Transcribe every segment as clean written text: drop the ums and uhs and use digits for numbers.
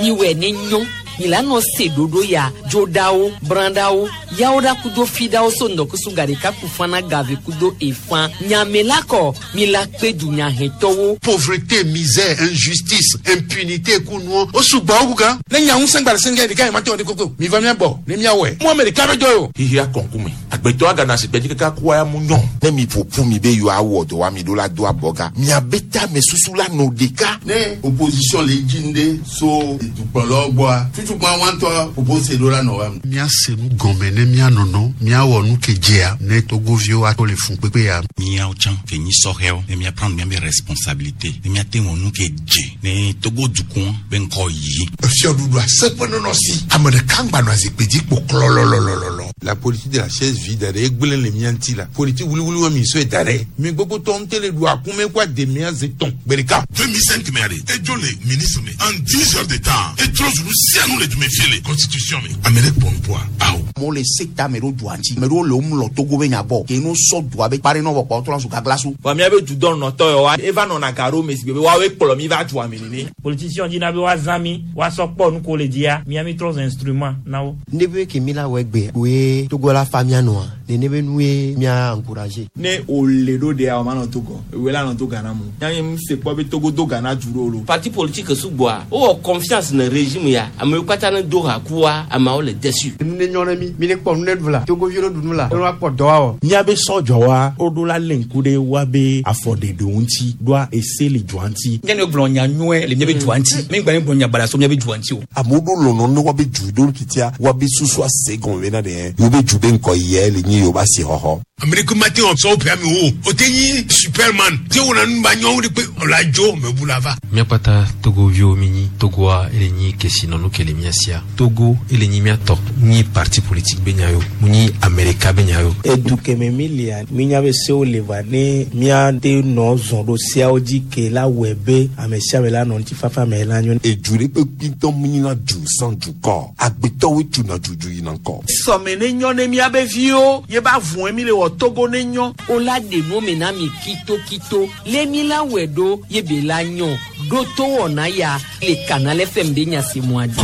Miwɛ ne nyɔ mi la nɔ se ɖoɖo ya dzoɖawo brãɖawo yawo ɖa kudo fiɖawo so ŋdɔkusu gaɖeka ku fana gave kudo efã nyame la kɔ mi la kpe dunyahɛtɔwo. Pauvreté, misère, injustice, impunité kunuɔ o sugbɔ wu gan. Ne nya ŋusẽ gba le sɛngɛ ɖeka yi ma te wɔ de koko mi va mia bɔ ne mia wɔe mu ame ɖeka be dɔ ye o. Xixia kɔnkume agbetɔ agana si gbɛdzi kaka kua ya mu nyɔ. Ne mi ƒoƒu mi be yewoawɔ dɔ wa mi ɖo la do abɔga miabe tame susu la nɔ ɖeka. Ne opposition le dzi ŋɖe so dukplɔlawo gbɔa tutukpa wa ŋutɔ propose ɖo la nɔ wa. Míase nu gɔme ne míanɔnɔ míawɔ nu ke dzea ne togoviwo ato le fun kpekpe ya. Míawo tsã ke nyi sɔhɛwo ne mía prendre míabe responsabilité ne míate wɔ nu ke dze ne Togo dukɔ be ŋkɔ yi. Efiɔɖuɖu aseƒe nɔnɔ si ame ɖeka ŋgba nɔ azikpui dzi kpo klɔlɔlɔlɔlɔ. La politique de la chaise vide ɖe egblẽ le mía ŋuti la politique wuliwuli wa mi sɔe da ɖe mi gbogbo tɔ ŋute le ɖu akume kó ademea ze tɔn gbe ɖeka. 2005 mɛ de edzo le ministre me en 10 heures de temps etrɔ zulu sianu le dume fie le constitution me ame ɖe kpɔ nupoa awo. Amewo le seta me ɖo dua ŋuti ame ɖewo le wo mlɔ Togo be nya gbɔ ke no sɔ dua be kpare nɔ vɔ kpɔ trɔ zu gaglasu. Vɔ míabe dudɔnɔtɔ yawoa eva nɔna ga ɖo me si be woawoe kplɔ mi va dua me nene. Politicien dina be woazã mi woasɔ kpɔ nu ko le dzia mia mi trɔ zu instrument na wo. Ne be ke mi la wɔ egbe koe Togo la fa mia nɔa nene be nu ye mia encourager. Ne wòle ɖo ɖea o ma nɔ Togo ewoe la nɔ to Ghana mu yanyi mu se kpɔ be Togo do Ghana du ɖo lo. Parti politique sugbɔa wowɔ confiance ne régime ya amewo katã ne do ha kua ameawo le déçu. Nu ne nyɔ ne mi mi ne kpɔ nu ne ɖu la Togoviwo ne ɖu nu la ne woakpɔ dɔ awɔ. Míabe sɔdzɔwa woɖo la lé ŋku ɖe woabe afɔɖeɖewo ŋuti ɖoa ese le dua ŋuti. Nye ne gblɔ nya nyuie le míabe dua ŋuti mi gba ne gblɔ nya baɖa so míabe dua ŋuti o. Amewo ɖo lɔlɔ ne woabe du ɖo titia woabe susu ase gɔme bena ɖe yewo be du be ŋkɔ yɛ le nyi yewo be asixɔxɔ. Ame ɖeke ma te wɔ sɔwo ƒe ame wo o te nyi superman te wɔna nu ba nyɔwo de kpe ɔla dzo me bu la va. Míakpata togoviwo mi nyi Togoa ele nyi kesinɔnu ke le mía sia Togo ele nyi míatɔ nyi parti politique be nya yo mu nyi Amerika be nya yo. Edu keme mi lia minya be sewo le va ne míate nɔ zɔn ɖo seawo dzi ke la wɔe be ame sia ame la nɔ ŋutifafa me la nyo. Edu ɖe kpekpe ŋutɔ mu nyina du sans dukɔ agbetɔwoe tuna dudu yina ŋkɔ. Sɔme ne nyɔ ne míabe viwo ye ba vɔe mi le wɔ Togo ne nyɔ. O la ɖe nu me na mi kitokito le mi la wɔe ɖo ye be la nyɔ ɖo to wɔna ya le Canal FM be nya si mua dzi.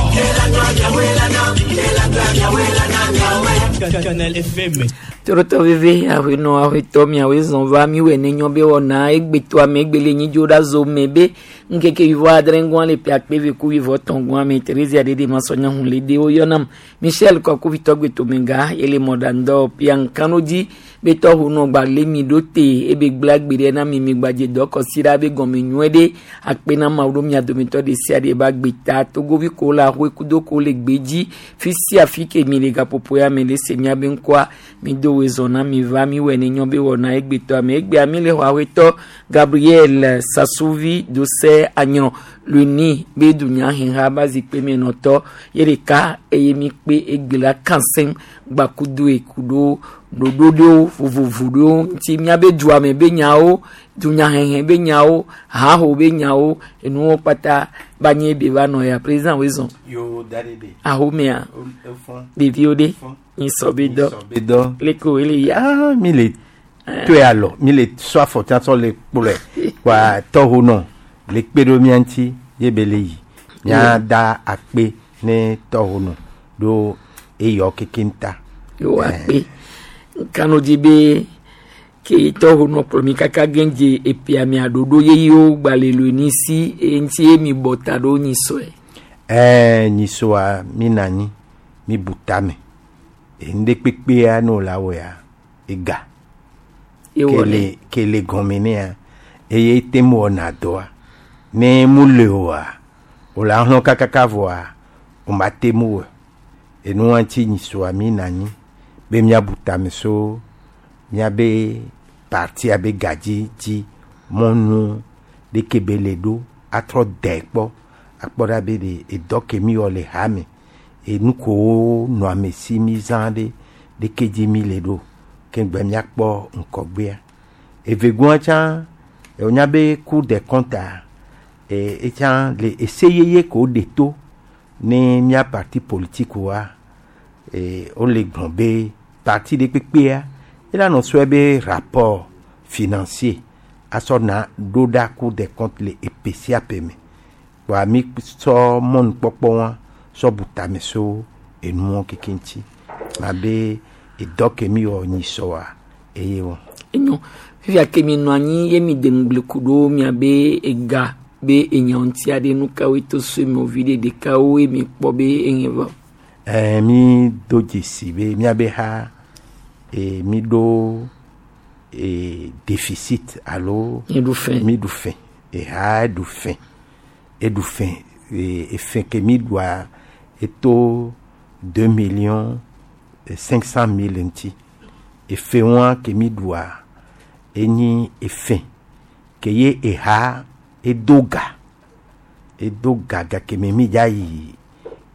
Canal FM. Torotɔ veve aƒenɔ aƒetɔ miawoe zɔn va miwɔe ne nyɔ be wɔna egbetɔ ame egbele nyi dzo ɖa zo me be ŋkeke wivɔ adre ŋgɔa le ƒe akpe ve ku wivɔ tɔn gɔa me Theresia ɖeɖe masɔnya hun le de woyɔnam Michel Kɔkuvitɔ gbetomega ele mɔɖaŋdɔ piankano dzi be tɔhu nɔ gba le mi ɖo te ebe gblẽ agbe ɖe na mi mi gbadze dɔ kɔsi ɖa be gɔme nyuie ɖe akpe na mawu ɖo mia dometɔ ɖe sia ɖe ba gbe ta togovi ko le ahoe kudo ko le gbe dzi fi sia fi ke mi le gaƒoƒo ya me le se miabe ŋkɔa mi do woe zɔ na mi va mi wɔe ne nyɔ be wɔna egbetɔ ame egbea mi le xɔ aƒetɔ Gabriel Sasuvi Dose Anyrɔ luni be dunyaheha ba zikpui me nɔtɔ ye ɖeka eye mi kpe egbe la kansɛn gbakudo ekuɖo ɖoɖo ɖewo vovovo ɖewo ŋuti miabe dua me be nyawo dunyahehe be nyawo haho be nyawo enuwo kpata ba nye be va nɔ ya président wo zɔn. Yo da ɖe de. Ahomea Efɔn. Ɖeviwo ɖe nyisɔ be dɔ. Be dɔ. Leko ele ya. Ah, mi le toe alɔ mi le sɔ afɔ tsɔ le kplɔe wa tɔho nɔ le kpe ɖo mía ŋuti ye be le yi mía da akpe ne tɔho nɔ ɖo eyɔ keke ta. Yo akpe kanu dzi be ke tɔho nɔ kplɔ mi kaka gɛndze epia mia ɖoɖo yeyewo gba le lo ni si eŋuti ye mi bɔ ta ɖo nyisɔe. Ɛɛ nyisɔa mi na anyi mi bu tame enu kpekpea ne wòle awɔa ega. Ewɔ kele kele gɔme nea eye te mu wɔna dɔa ne mu le oa wòle ahlɔ kakaka vɔa o ma te mu wɔ enua ŋuti nyisɔa mi na anyi be míabu tame so míabe partia be gadzi dzi mɔnu ɖeke be le ɖo atrɔ dɛ kpɔ akpɔ ɖa be ɖe edɔ ke mi wɔ le hame enu kowo nɔ ame si mi zã ɖe ɖeke dzi mi le ɖo ke gbe míakpɔ ŋkɔgbea evegoa tsã wonya be Cour des comptes a e etsã le ese yeye ko ɖe to ne mía parti politique wa e wole gblɔ be parti ɖe kpekpea ela nɔ sɔe be rapport financier asɔ na ɖo ɖa Cour des comptes le epe sia ƒe me. Kpoa mi sɔ mɔnukpɔkpɔ wa sɔ bu tame so enuwo keke ŋuti. Ma be edɔ ke mi wɔ nyi sɔa eye wɔ. Enyo fifia ke mi nɔ anyi ye mi de ŋugble ku ɖo miabe ega be enya ŋuti aɖe nu kawoe to so eme vi ɖe ɖekawoe mi kpɔ be eŋe vɔ. Ɛɛ mi do dzesi be miabe ha e mi ɖo e déficit alo. Mi ɖu fɛn. Mi ɖu fɛn eha ɖu fɛn eɖu fɛn e efɛn ke mi ɖua eto 2 500 000 ŋuti. Efe wa ke mi ɖua enyi efɛn ke ye eha edo ga edo ga gake me mi dza yi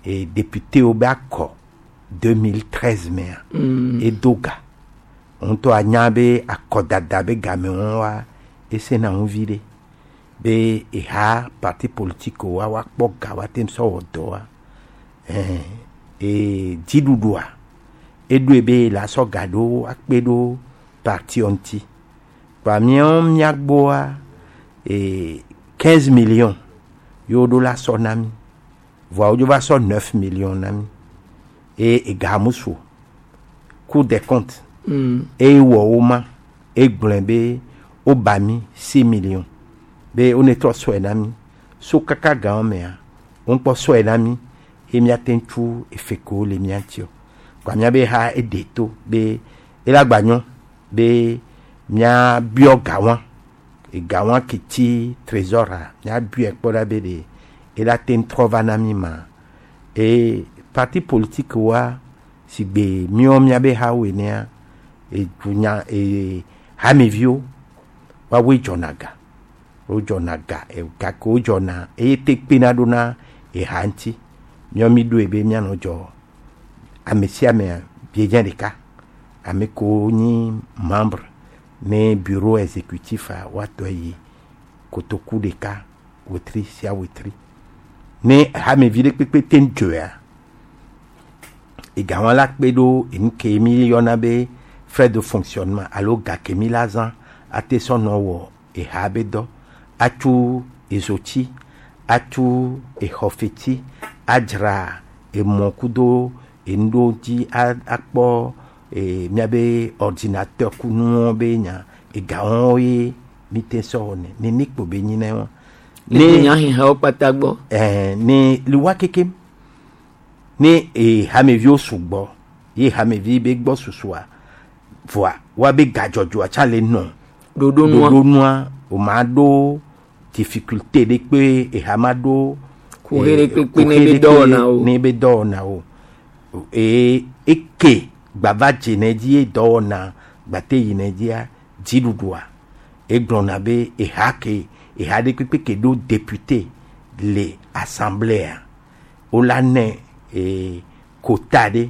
e député wo be akɔ 2013 mea. Edo ga ŋutɔ anya be akɔdada be game wɔn wa esena ŋu vi ɖe be eha parti politique wa woakpɔ ga wa te sɔ wɔ dɔ wa ɛn e dziɖuɖua eɖoe be la sɔ ga ɖo akpe ɖo parti ŋuti kpa míawo míagbɔa e 15 millions yewo ɖo la sɔ na mi voa wodzo va sɔ 9 millions na mi e ega mu su o. Cour des comptes eye wɔ wo ma egblɔe be woba mi 6 millions be wo ne trɔ sɔe na mi so kaka gawo mea wokpɔ sɔe na mi ye míate ŋu tsu efe kewo le mía ŋuti o. Kpa míabe ha eɖe to be ela gba nyɔ be míabiɔ ga wa ega wa ke tsi trésor a míabiɔe kpɔ ɖa be ɖe ela te ŋu trɔ va na mi ma e parti politique wa si gbe míawo míabe hawo enea edunya e hameviwo woawoe dzɔna ga wodzɔna ga e gake wodzɔna eye te kpena ɖo na eha ŋuti míawo mi ɖoe be míanɔ dzɔ ame sia amea biedze ɖeka ame kewo nyi membre ne bureau exécutif a woatɔ yi kotoku ɖeka wetri sia wetri ne hamevi ɖe kpekpe te ŋu dzɔea ega wɔn la kpe ɖo enu ke mi yɔna be frais de fonctionnement alo ga ke mi la zã ate sɔ nɔ wɔ eha be dɔ atsu ezotsi atsu exɔfetsi adzra emɔ kudo enu ɖewo dzi akpɔ e miabe ordinateur ku nuwo be nya ega wɔn ye mi te sɔ wɔnɛ nene kpo be nyi ne wɔn. Ne nyahehawo kpata gbɔ. Ɛɛ ne le wa kekem ne e hameviwo sugbɔ ye hamevi be gbɔ susua voa wa be gadzɔdzɔa tsa le nɔ ɖoɖonua ɖoɖonua o ma ɖo difficulté ɖe kpe eha ma ɖo Kuxi ɖe kpekpe ne be dɔwɔna o. ne be dɔwɔna o eye eke gbava dze ne dzi ye dɔwɔna gbate yi ne dzia dziɖuɖua egblɔna be eha ke eha ɖe kpekpe ke ɖo député le assemblée wola nɛ e quota ɖe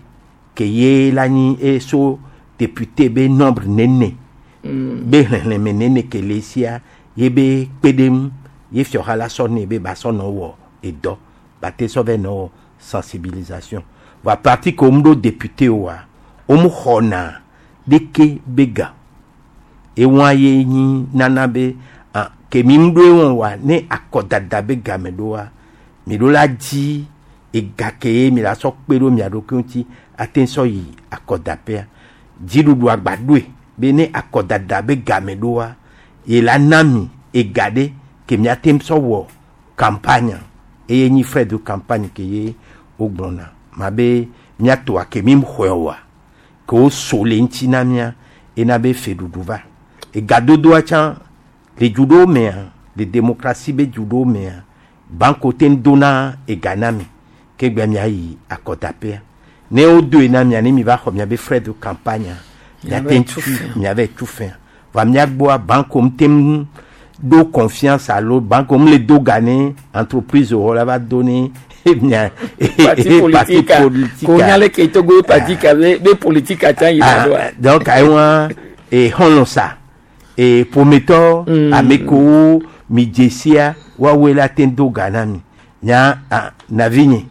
ke ye la nyi eso député be nombre nene be xlẽxlẽme nene ke le sia ye be kpe ɖe ŋu ye fiɔha la sɔ nɛ be ba sɔ nɔ wɔ edɔ ba te sɔ vɛ nɔ wɔ sensibilisation va parti ke womu ɖo député oa womu xɔna ɖeke be ga ewa ye nyi nana be ah, ke mi ŋu ɖo ewɔn wa ne akɔdada be game ɖoa mi ɖo la dzi ega ke ye mi la sɔ kpe ɖo mia ɖokui ŋuti ate sɔ yi akɔdaƒea dziɖuɖu agba ɖoe be ne akɔdada be game ɖoa ye la na mi ega ɖe ke miate ŋu sɔ wɔ campagne eye nyi frais de campagne ke ye wogblɔna ma be miatoa ke mi xɔe oa ke woso le ŋuti na mia ena be feɖuɖu va egadodoa tsã le du ɖewo mea le démocratie be du ɖewo mea banque te ŋu dona ega na mi ke gbe miayi akɔdaƒea ne wodoe na mia ne mi va xɔ miabe frais de campagne miate ŋu tu miave tu fɛn va miagbɔa banque mu te ŋu ɖo confiance alo banque mu le do ga ne entreprise wɔ la va do ne mia parti politique ko nya ke Togo parti ka be be politique atsa yi na doa. Donc ayiwa e xɔlɔ sa e ƒometɔ ame kewo mi dze sia woawoe la te do ga na mi nya ah, navinye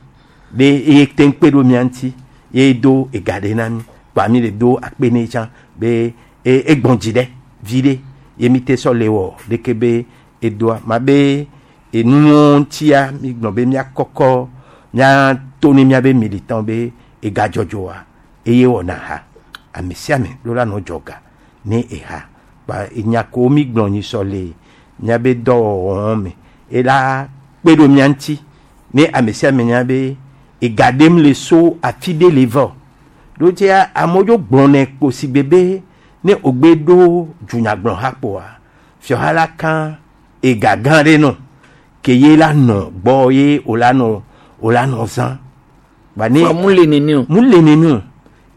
be eye te kpe ɖo mia ŋuti ye do ega ɖe na mi kpa mi le do akpe ne tsã be e egbɔn dzi ɖe vi ɖe ye mi te sɔ le wɔ ɖeke be edoa ma be Enuwo ŋutia mi gblɔ be miakɔkɔ miato ne miabe militant be egadzɔdzɔa eye wɔna ha. Ame sia ame ɖo la nɔ dzɔga ne eha. Kpa enya kewo mi gblɔ nyi sɔ le miabe dɔwɔwɔ me ela kpe ɖo mia ŋuti ne ame sia ame nya be ega ɖem le so afi ɖe le vɔ. Ɖo tia amewo dzo gblɔnɛ kpo si gbe be ne wogbe ɖo dunyagblɔha kpoa fiɔha la kan ega gã ɖe nɔ ke ye la nɔ gbɔ ye wòla nɔ wòla nɔ zã. Ba ne Fa mu le nene o. Mu le nene o.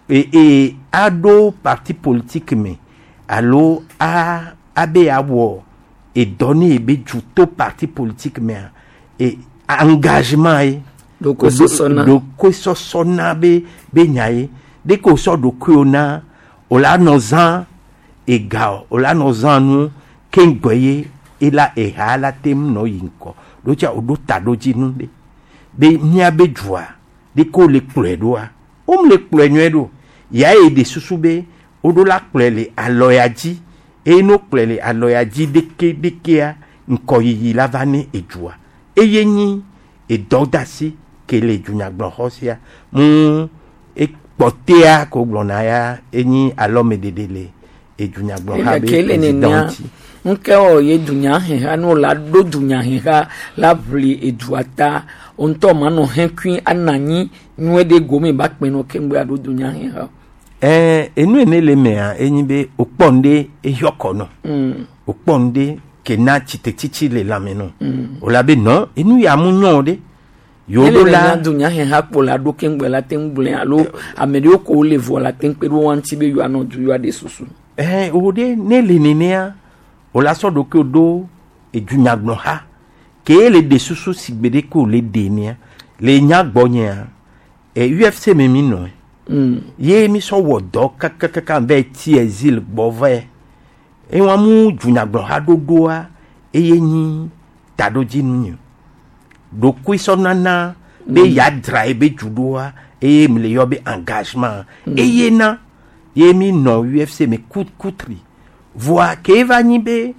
E e aɖo parti politique me alo a abe awɔ edɔ ne ye be du to parti politique mea e engagement ye. Ɖokuisɔsɔna. Ɖokuisɔsɔna be be nya ye. Ɖeke wòsɔ ɖokuiwò na wòla nɔ zã ega o wòla nɔ zã nu keŋgbɔ ye ela eha la te ŋu nɔ yi ŋkɔ. Ɖo tsa wòɖo taɖodzinu ɖe be míabe dua ɖeke wole kplɔe ɖoa womle kplɔe nyuie ɖo. Ya ye ɖe susu be woɖo la kplɔe le alɔ ya dzi eye ne wokplɔe le alɔ ya dzi ɖeke ɖekea ŋkɔyiyi la va ne edua eye nyi edɔdasi ke le dunyagblɔxɔ sia mu ekpɔtea ko gblɔna ya enyi alɔmeɖeɖe le edunyagblɔha be Ke le président nenea ŋuti. ŋke wɔ ye dunyaheha ne wòla ɖo dunyaheha la ʋli edua ta wo ŋutɔ manɔ hekui anɔ anyi nyuie ɖe gome ba kpe nɔ keŋgbe aɖo dunyaheha. Ɛɛ enu ene le mea enyi be wòkpɔ nu ɖe ehiɔ kɔ nɔ. Wòkpɔ nu ɖe ke na tsitetsitsi le lãme nɔ. Wòla be nɔ enu ya mu nyɔ ɖe. Yewo Ele ɖo le la nya dunyaheha kpo la ɖo keŋgbe la te ŋu gblẽ alo ame ɖewo ko wole vɔ la te ŋu kpe ɖe wo ŋuti be yewoanɔ du yewoaɖe susu. Ɛɛ wo ɖe ne le nenea wòla sɔ ɖokuiwò ɖo edunyagblɔha ke le ɖe susu si gbe ɖe ke wòle ɖe nea le nya gbɔnyea e UFC me mi nɔ. Ye mi sɔ wɔ dɔ kakakaka va ti exil gbɔ vɛ. Ewa mu dunyagblɔha ɖoɖoa eye nyi taɖodzinu nye. Ɖokuisɔnana be yeadzra ebe du ɖoa eye mi le yɔ be engagement. Eye na ye mi nɔ UFC me kutri. Voa ke eva nyi be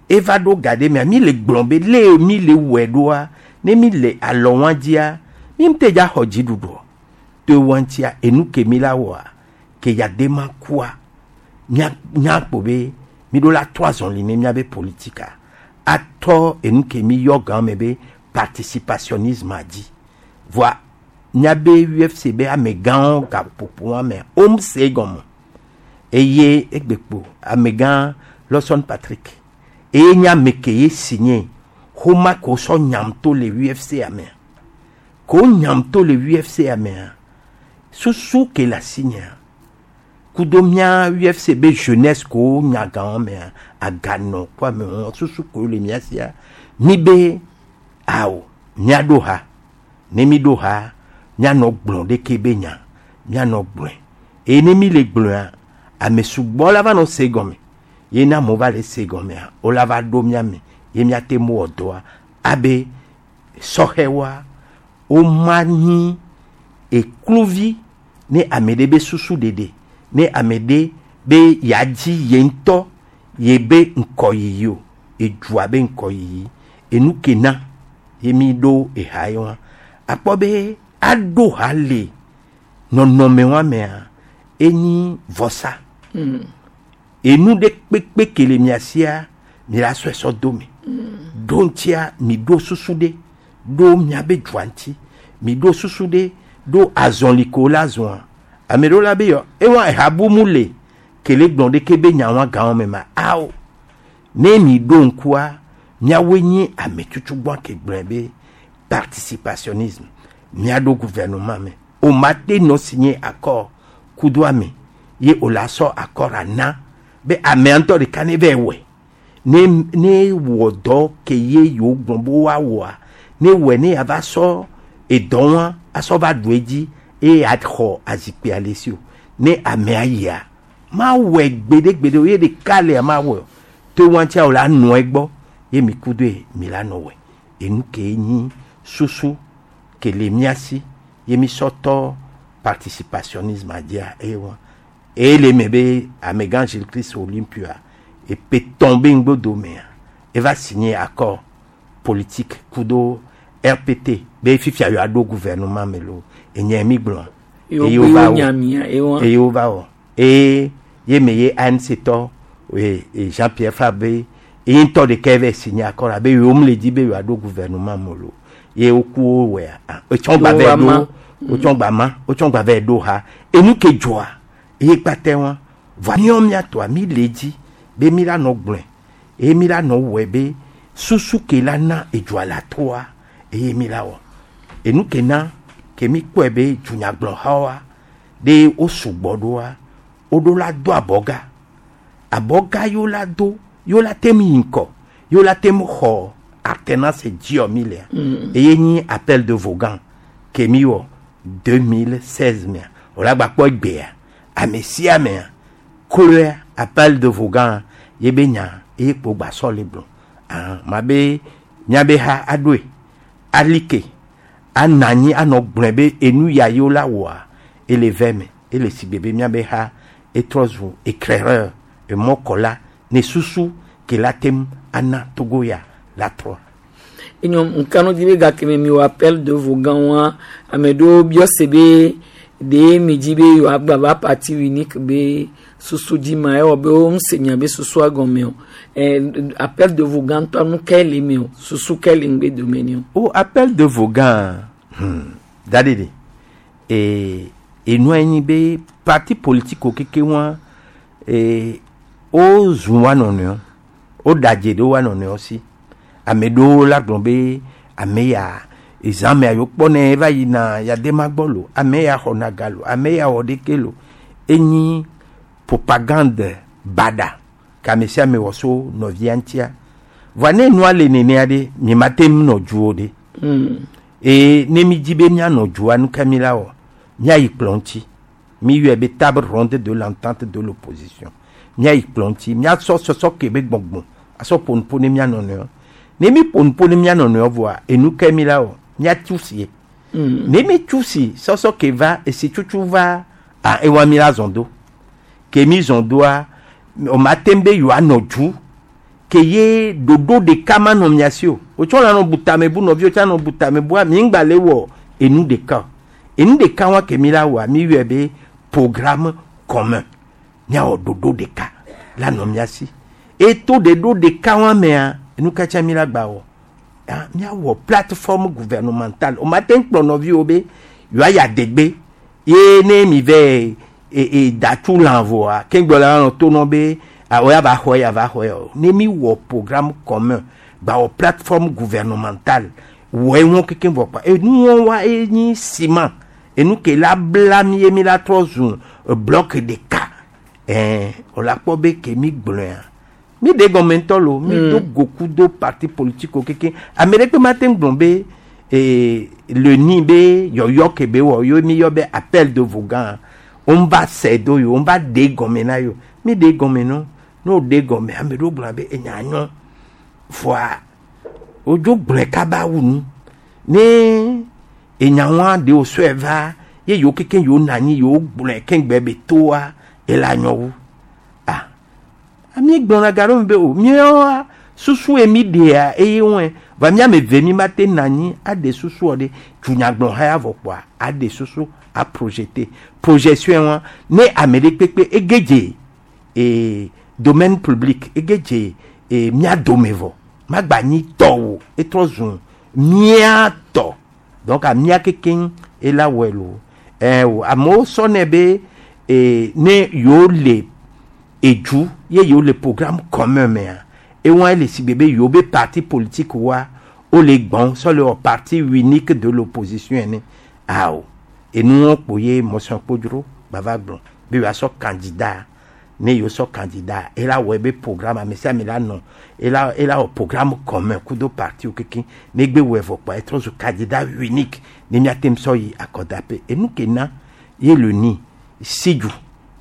eva ɖo ga ɖe mea mi le gblɔ be le mi le wɔe ɖoa ne mi le alɔ wa dzia mi ŋute dza xɔ dziɖuɖu. To wa ŋutia enu ke mi la wɔa ke ya de ma kua mia mia kpo be mi ɖo la tɔ azɔli ne miabe politika atɔ enu ke mi yɔ gã me be participationnisme dzi. Voa miabe UFC be amegãwo gaƒoƒo wa mea wom se egɔme eye egbekpo amegã Lawson Patrick eye nye ame ke ye signé xoma ke wosɔ nyam to le UFC amea ke wo nyam to le UFC amea susu ke le asi nyea kudo mía UFC be jeunesse ke wo nya gãwo mea aganɔ kple amewo susu ke le mía sia mi be awo míaɖo ha ne mi ɖo ha míanɔ gblɔ ɖeke be nya míanɔ gblɔe eye ne mi le gblɔea ame sugbɔ la va nɔ se gɔme ye ne amewo va le se gɔmea wola va ɖo mía me ye míate ŋu wɔ dɔa abe sɔhɛwoa woma nyi ekluvi ne ame ɖe be susu ɖeɖe ne ame ɖe be yeadzi ye ŋutɔ ye be ŋkɔyiyi o edua be ŋkɔyiyi enu ke na ye mi ɖo eha ye wa akpɔ be aɖo ha le nɔnɔme wa mea enyi vɔsa enu ɖe kpekpe ke le mia sia mi la sɔe sɔ do me ɖo ŋutia mi ɖo susu ɖe ɖo miabe dua ŋuti mi ɖo susu ɖe ɖo azɔli ko la zɔa ame ɖewo la be yɔ ewa eha bu mu le kele gblɔ ɖeke be nya wa gãwo me ma awo ne mi ɖo ŋkua miawoe nye ame tutugbɔ ke gblɔe be participationnisme miaɖo gouvernement me o ma te nɔ signé accord kudo ame ye o la sɔ accord ana be amea ŋutɔ ɖeka ne va wɔe ne ne wɔ dɔ ke ye yewo gblɔ be woawɔa ne wɔe ne yava sɔ edɔ wa asɔ va ɖu edzi eye axɔ azikpuia le si o ne amea yia mawɔe gbeɖegbeɖe o ye ɖeka lea mawɔe o to wa ŋutia o la nɔ egbɔ ye mi ku doe mi la nɔ wɔe enu ke nyi susu ke le mía si ye mi sɔ tɔ participationnisme dzia eye wa eye le me be amegã Gilles Christ Olympia epe tɔn be ŋgbodomea eva signé accord. politique kudo RPT be fifia yewoa ɖo gouvernement me lo enye mi gblɔ. Yewo Eye gbe wova yewo wɔ. nya mia, ewa. Eye wova wɔ eye ye me ye ANC tɔ e, e Jean Pierre Fabre ye ŋutɔ ɖeka va signé accord abe yewo mu le di be yewoa ɖo gouvernement me lo ye woku wo wɔa ah, wotsɔ gba Yewo vɛ va ma. ɖo wotsɔ gba ma wotsɔ gba vɛ ɖo ha enu ke dzɔa eye kpatɛ wa voa míawo míatɔa mi le dzi be mi la nɔ gblɔe eye mi la nɔ wɔe be susu ke la na edzɔa la toa eye mi la wɔ enu ke na ke mi kpɔe be dunyagblɔhawoa ɖe wo sugbɔ ɖoa woɖo la do abɔga abɔga yiwo la do yiwo la tem yi ŋkɔ yiwo la tem xɔ alternance dziɔ mi lea eye nyi appel de Vogan ke mi wɔ 2016 mea wòle agba kpɔ egbea ame sia amea kloe appel de Vogan ye be nya eye kpo gba sɔ le gblɔ ah ma be miabe ha aɖoe alike anɔ anyi anɔ gblɔe be enu ya yiwo la wɔa ele ve me ele si gbe be miabe ha etrɔ zu éclaireur emɔkɔla ne susu ke la tem ana Togo ya la trɔ. Enyo nkanu di be gake me mi wɔ appel de Vogan wa ame ɖewo biɔ se be ɖe mi dzi be yewoagba va parti unique be susu dzi ma ewɔ be wo ŋuse nya be susua gɔme o. Ɛ appel de Vogan ŋutɔ nu ke le me o susu ke le ŋgbe dome ni o. O appel de Vogan daɖeɖe e enua nyi be parti politique wo keke wa e wo zu wa nɔnɔewo wo ɖadze ɖe wa nɔnɔewo si ame ɖewo la gblɔ be ame ya ezãmea yewo kpɔnɛ va yina yadema gbɔ lo ame ya xɔna ga lo ame ya wɔ ɖeke lo enyi propagande baɖa ke ame sia ame wɔ so nɔvia ŋutia voa ne nua le nenea ɖe mi ma te ŋu nɔ dzuwo ɖe eye ne mi dzi be mianɔ dzua nu ke mi la wɔ miayi kplɔ ŋuti mi yɔe be table ronde de l'entente de l'opposition miayi kplɔ ŋuti miasɔ sɔsɔ ke be gbɔgbɔ asɔ ƒo nuƒo ne mia nɔnɔewo ne mi ƒo nuƒo ne mia nɔnɔewo vɔa enu ke mi la wɔ miatu sie ne mi tu si sɔsɔ ke va esi tutu va a ewa mi la zɔn do ke mi zɔn doa o ma te be yewoanɔ dzu ke ye ɖoɖo ɖeka ma nɔ mia si o wotsɔ la nɔ bu tame bu nɔviwo tsã nɔ bu tame bua mi ŋgba le wɔ enu ɖeka o enu ɖeka wa ke mi la wɔa mi yɔe be programme commun miawɔ ɖoɖo ɖeka la nɔ mia si eto ɖoɖo ɖeka wa mea enu katsa mi la gba wɔ ah miawɔ plateforme gouvernementale o ma te ŋu kplɔ nɔviwo be yewoayi adegbe ye ne mi vɛ e e datu lã vɔa keŋgbɔ la nɔ to nɔ be awɔ ya va xɔ ya va xɔ ya o ne mi wɔ programme commun gba wɔ plateforme gouvernementale wɔ eŋu kekeŋ vɔ kpa enu wa enyi ciment enu ke la bla mi ye mi la trɔ zu bloc ɖeka ɛɛ o la kpɔ be ke mi gblɔa mi de gɔme ŋutɔ lo mi do goku do parti politique wo keke ame ɖe kpe ma te ŋu gblɔ be ee le ni be yɔyɔ ke be wɔ yo mi yɔ be appel de Vogan wo va sɛ do yo wo va de gɔme na yo mi de gɔme no ne wo de gɔme ame ɖewo gblɔ be enya nyɔ fɔa wodzo gblɔe kaba wu nu ne enya wa de wo sɔe va ye yewo keke yewo nɔ anyi yewo gblɔe keŋgbe be toa ela nyɔ wu ah ami gblɔna ga ɖe mi be o míawoa susu ye mi ɖea eye wɔe va míame ve mi ma te nɔ anyi aɖe susua ɖe dunyagblɔ ha ya vɔ kpoa aɖe susu a projeter projection wa ne ame ɖe kpekpe ege dze ee domaine public ege dze ee mía dome vɔ magba nyi tɔwò etrɔ zu mía tɔ donc amía kekeŋ ela wɔe lo ɛɛ o amewo sɔnɛ be ee ne yewo le edzu ye yewo le programme commun mea ewa le si gbe be yewo be parti politique wa wo le gbɔn sɔ le wɔ parti unique de l'opposition ene awo enu wɔn kpo ye mɔsɔn kpodzro bava gblɔ be yewoasɔ candidat ne yewo sɔ candidat ela wɔ ebe programme ame sia ame la nɔ ela ela wɔ programme commun kudo parti wo kekeŋ ne gbe wɔe vɔ kpoa etrɔ zu candidat unique ne miate ŋu sɔ yi akɔdaƒe enu ke na ye le ni sidzu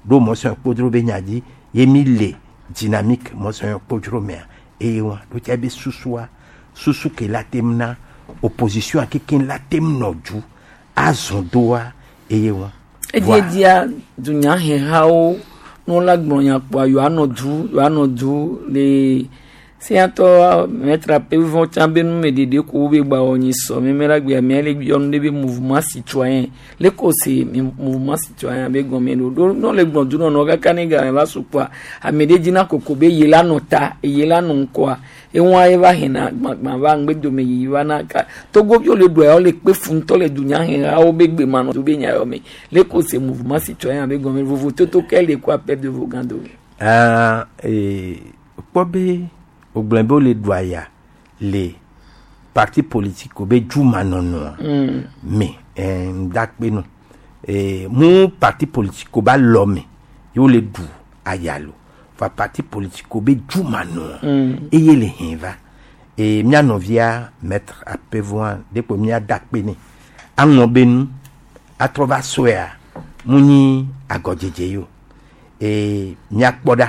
ɖo mɔsɔn kpodzro be nya dzi ye mi le dynamique mɔsɔn kpodzro mea eye wa ɖo tsa be susua susu ke la tem na opposition kekeŋ la tem nɔ dzu azɔ doa eye wa. Ediedzia dunyahehawo ne wola gblɔ nya kpoa yewoanɔ du yewoanɔ du le Sénateur maître Apevon tsan be numeɖeɖe ko be gba wɔ nyi sɔ mɛmɛ la gbe amea le yɔ nu ɖe be mouvement citoyen le ko se mouvement citoyen be gɔme ɖo ɖo n'o le gblɔ du nɔnɔ kaka ne game va su kpoa ame ɖe dzina koko be ye la nɔ ta eye la nɔ ŋkɔa eŋua ye va hena gbãgbã va ŋgbedome yiyi va na ka togoviwo le ɖua yawo le kpe fu ŋutɔ le dunyahehawo be gbemanɔ do be nya yɔ me le ko se mouvement citoyen be gɔme vovototo ke le ko appel de Vogan dome. Ah, kpɔ be wògblɔ be wole ɖu aya le parti politique be dzumanɔnɔa me ŋdakpe no mu parti politique ba lɔ me ye wole ɖu aya lo va parti politique be dzumanɔa eye le hɛn va mía nɔvia maître Apevoa ɖekpo mía dakpe nɛ aŋlɔ be nu atrɔ va sɔea mu nyi agɔdzedze yi o míakpɔ ɖa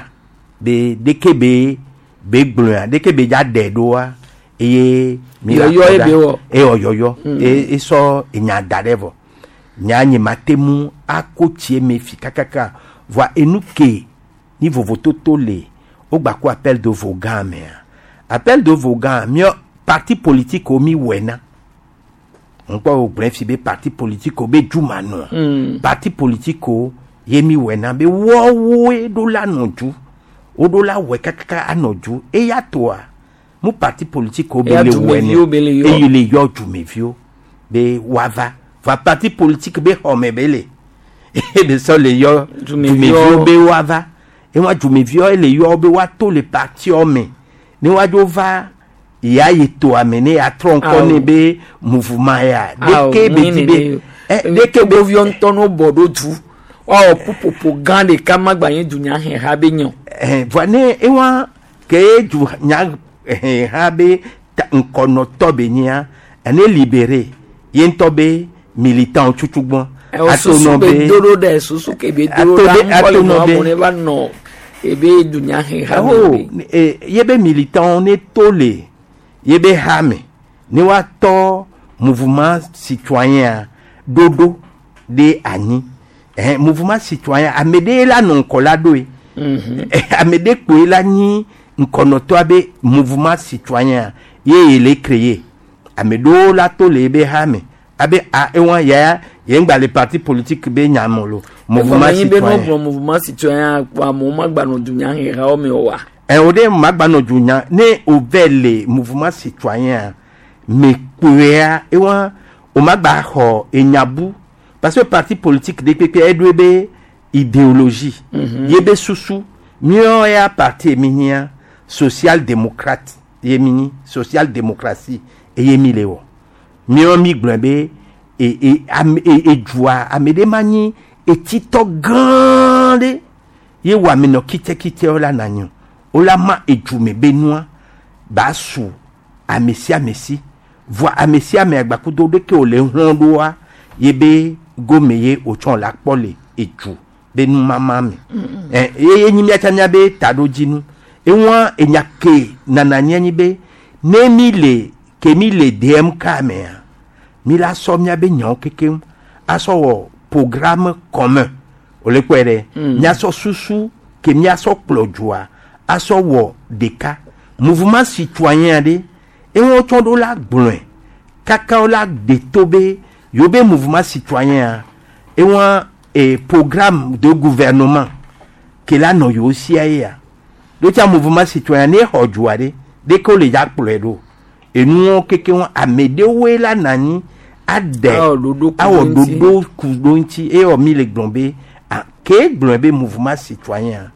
be ɖeke be be gblɔa ɖeke be dza ɖe ɖoa eye mi la Yɔyɔ kpɔ ye ɖa. be wɔ. Ewɔ yɔyɔ esɔ enya da ɖe vɔ nya nye ma te ŋu ako tsie me fi kakaka voa enu ke ni vovototo le wogba ko appel de Vogan mea appel de Vogan miɔ parti politique wo mi wɔe na ŋkpɔ wo gblẽ fi be parti politique wo be dzumanɔa parti politique wo ye mi wɔe na be wɔwoe ɖo la nɔ dzu woɖo la wɔe kakaka anɔ dzu eya toa mu parti politique wo be Eya le wɔe dumeviwo be le yɔ. eye le yɔ dumeviwo be woava va parti politique be xɔme be le ebe sɔ le yɔ Dumeviwo. dumeviwo be woava ewa dumeviwo le yɔ be woato le partiɔ me ne woadzo va ya yi toa me ne atrɔ ŋkɔ Awo. ne be mouvement ya Awo, ɖeke be mu di nene be yo. Ɖeke ɖeviwo ŋutɔ no bɔ ɖo du woawɔ ƒuƒoƒo gã ɖeka ma gba nye dunyaheha be nyɔ. Vɔa ne ewa ke du nya ha be ŋkɔnɔtɔ be nyia ene libéré ye ŋutɔ be militant tutugbɔn Ɛwɔ susu be doɖo ɖe susu ke be doɖo Ato ɖa be- ŋkɔ le ato nɔ nɔ be- amewo ne va nɔ ebe dunyaheha me Oh, be. ye be militant ne to le ye be ha me ne woatɔ mouvement citoyen ɖoɖo ɖe anyi mouvement citoyen ame ɖe la nɔ ŋkɔ la ɖoe ame ɖe kpoe la nyi ŋkɔnɔtɔa be mouvement citoyen ye ye le créer ame ɖewo la to le ye be ha me abe a ewa ya ye ŋgba le parti politique be nyame lo mouvement Egɔme nyi be ne citoyen. wogblɔ mouvement citoyen kpɔ amewo ma gba nɔ dunyahehawo me o wa. O de magba nɔ dunya ne o vɛ le mouvement citoyen me kpoea ewa o magba xɔ enyabu parce que parti politique de kpekpe eɖoe be idéologie ye be susu míawo ya parti mi nyia social démocrate ye mi nyi social démocratie eye mi le wɔ míawo mi gblɔ be e e ame e edua ame ɖe ma nyi etitɔ gãa ɖe ye wɔ amenɔ kitsɛkitsɛwo la na nyo wo la ma edzume be nua ba su ame sia ame si voa ame sia ame agbakudo ɖeke wo le hlɔ̃ ɖoa ye be gome ye wotsɔ la kpɔ le edzu be numama me ɛ ye nyi miatsa mia be taɖodzinu eŋua enya ke nana nye nyi be ne mi le ke mi le DMK mea mi la sɔ mia be nyawo kekeŋ asɔ wɔ programme commun o le kpɔe ɖe miasɔ susu ke miasɔ kplɔ dzoa asɔ wɔ ɖeka mouvement citoyen ɖe eŋu tsɔ ɖo la gblɔe kaka wo la de to be yewo be mouvement citoyen eŋua programme de gouvernement ke la nɔ yewo sia ye ya ɖo tsa mouvement citoyen ne xɔ dzoa ɖe ɖeke wo le dza kplɔe ɖo enuwo kekeŋ ame ɖewoe la na anyi aɖe Awɔ ɖoɖo ku awɔ ɖo ŋuti. ɖoɖo ku ɖo ŋuti eye wɔ mi le gblɔ be ah, ke gblɔ be mouvement citoyen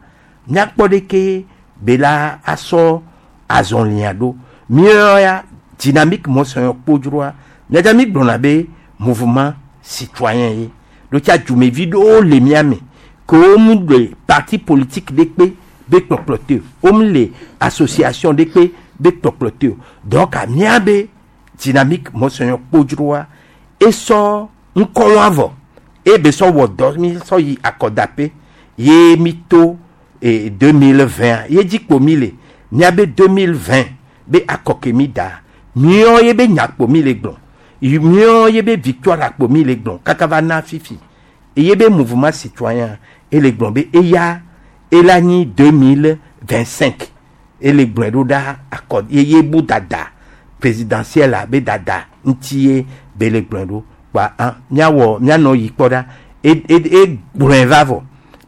míakpɔ ɖeke be la asɔ azɔlia ɖo míawo ya dynamique mɔsɔnyɔ kpodzroa míadza mi gblɔna be mouvement citoyen ye ɖo tsa dzumevi ɖewo le mía me ke wo mu le parti politique ɖe kpe be kplɔkplɔ te o wo mu le association ɖe kpe be kplɔkplɔ te o donc mía be dynamique mɔsɔnyɔ kpodzroa esɔ ŋkɔwɔ vɔ ebe sɔ wɔ dɔ mi sɔ yi akɔdaƒe ye mi to 2020 ye dzi kpo mi le miabe 2020 be akɔ ke mi da miɔ ye be nyakpo mi le gblɔ miɔ ye be victoire akpo mi le gblɔ kaka va na fifi eye be mouvement citoyen ele gblɔ be eya ela nyi 2025. Ele gblɔe ɖo ɖa akɔ ye ye bu dada présidentielle a be dada ŋuti ye be le gblɔe ɖo kpa an miawɔ mianɔ yi kpɔ ɖa e e e gblɔe va vɔ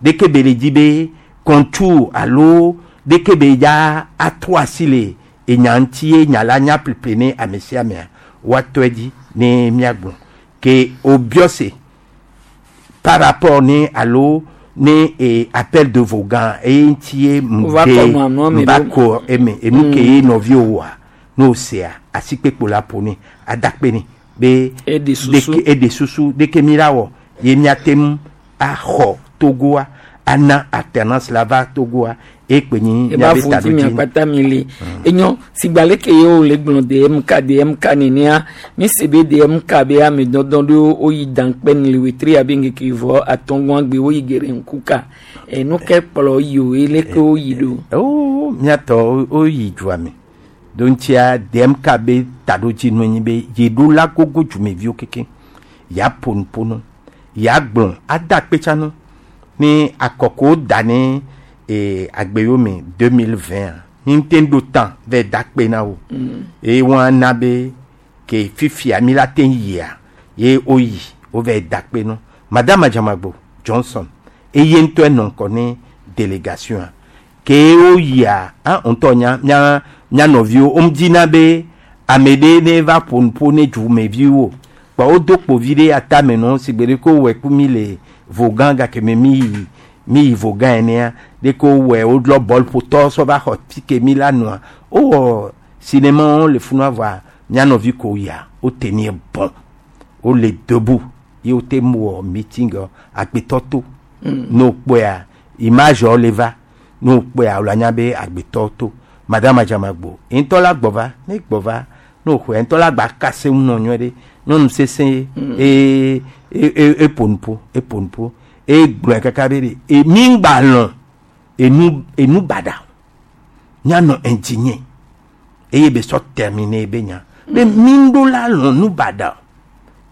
ɖeke be le dzi be contour alo ɖeke be ya atrɔ asi le enya ŋuti ye nya la nya ƒleƒle ne ame sia amea woatɔe dzi ne miagblɔ ke wobiɔ se par rapport ne alo ne e appel de vogan eye ŋuti ye Wova kɔ nua nua me va ɖo. kɔ eme enu ke ye nɔviwo wɔa ne wosea asikpekpo la ƒo ne adakpe ne be Eɖe susu. ɖeke eɖe susu ɖeke mi la wɔ ye miate ŋu axɔ Togoa ana alternance la va Togoa ekpe nyi eba miabe vo dzi taɖodzinu. miakpata mi le enyo sigba leke ye wo le gblɔ dmk dmk nenea mi se be dmk be ame dɔdɔ ɖewo woyi dankpɛn le wetri abe ŋkeke vɔ atɔngɔa gbe woyi geɖe ŋkuka enu ke kplɔ yi o ye leke woyi ɖo. o miatɔ woyi dua me do ŋutia dmk be taɖodzinu nyi be yeɖo la gogo dzumeviwo keke ya ƒo nu ƒo nu ya gblɔ ada kpetsanu ne akɔko da ne ee agbewo me 2020 mi ŋute ɖo tan vɛ da kpe na wo eye wɔn ana be ke fifia mi la te yia ye woyi wovɛ da kpe nu madame Adjamagbo Johnson eye ŋutɔ enɔ ŋkɔ ne délégation a ke woyia a ŋutɔ nya mía mía nɔviwo womedina be ame ɖe ne va ƒo nu ƒo ne dzumeviwo kpa wodo kpovi ɖe atame nɔ si gbe ɖe ko wowɔe ku mi le vogã gake me mi yi mi yi vogã enea ɖe ko wowɔe wolɔ bɔlƒotɔ sɔ va xɔ fi ke mi la nɔa wowɔ cinéma wo le funua vɔa mía nɔvi ko yia wo tenir bon wole debout ye wote mu wɔ meeting agbetɔ to ne wokpɔea image wo le va ne wokpɔea wòle anya be agbetɔ to madame Adjamagbo ŋutɔ la gbɔ va ne gbɔ va ne wòxɔe ŋutɔ la gba kase ŋu nɔ nyuie ɖe nyɔnu sesẽ ye eye e eƒo nu ƒo eƒo nu ƒo egblɔe kaka be ɖe e mi ŋgba lɔ̃ enu enu baɖa mianɔ indigné eye be sɔ terminer be nya be mi ŋɖo la lɔ̃ nu baɖa o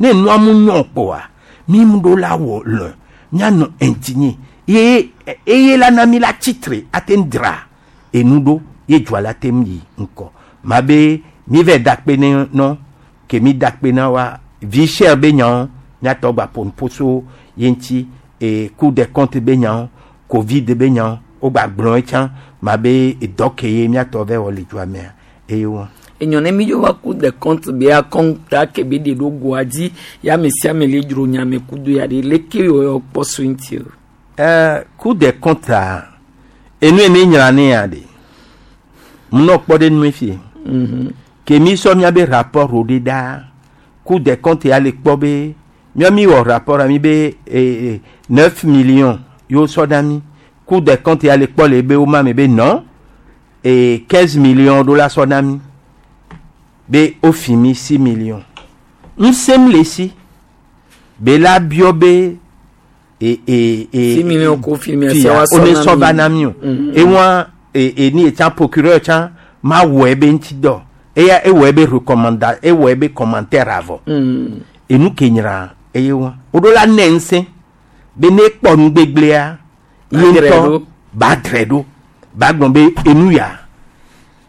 ne nua mu nyɔ kpoa mi ŋɖo la wɔ lɔ̃ mianɔ indigné ye eye la na mi la tsitre ate ŋu dra enu ɖo ye dzoa la te ŋu yi ŋkɔ ma be mi vɛ da kpe ne nɔ ke mi da kpe na wa vie chère be nyawo miatɔ gba ƒo nu ƒo so ye ŋuti e cour des comptes be nyawo covid be nyawo wogba gblɔ etsã ma be edɔ ke ye miatɔ vɛ wɔ le dzoa mea eye wɔn. Enyɔ ne mi dzo va cour des comptes be akɔnta ke be ɖe ɖo goa dzi ya ame sia ame le dzro nyame kudo ya ɖe leke yɔ kpɔ so ŋuti o. Cour des comptes a enu ye ne nyra ne ya ɖe munɔ kpɔ ɖe nue fie ke mi sɔ miabe rapport wo ɖe ɖa cour des comptes ya le kpɔ be mía mi wɔ rapport a mi be 9 millions yewo sɔ na mi cour des comptes ya le kpɔ le be wo ma me be non e 15 millions ɖo la sɔ na mi be wofi mi 6 millions ŋusẽm le si be la biɔ be e e e 6 millions ko fi mi fia ase wa wo ne sɔ sɔ va na mi o ewa e e ni etsa procureur tsã ma wɔ ebe ŋuti dɔ eya ewɔ ebe recommanda ewɔ ebe commentaire avɔ enu ke nyra eye wa woɖo la nɛ ŋusẽ be ne kpɔ nugbegblẽa ye Ba drɛ ŋutɔ ɖo. ba drɛ ɖo ba gblɔ be enu ya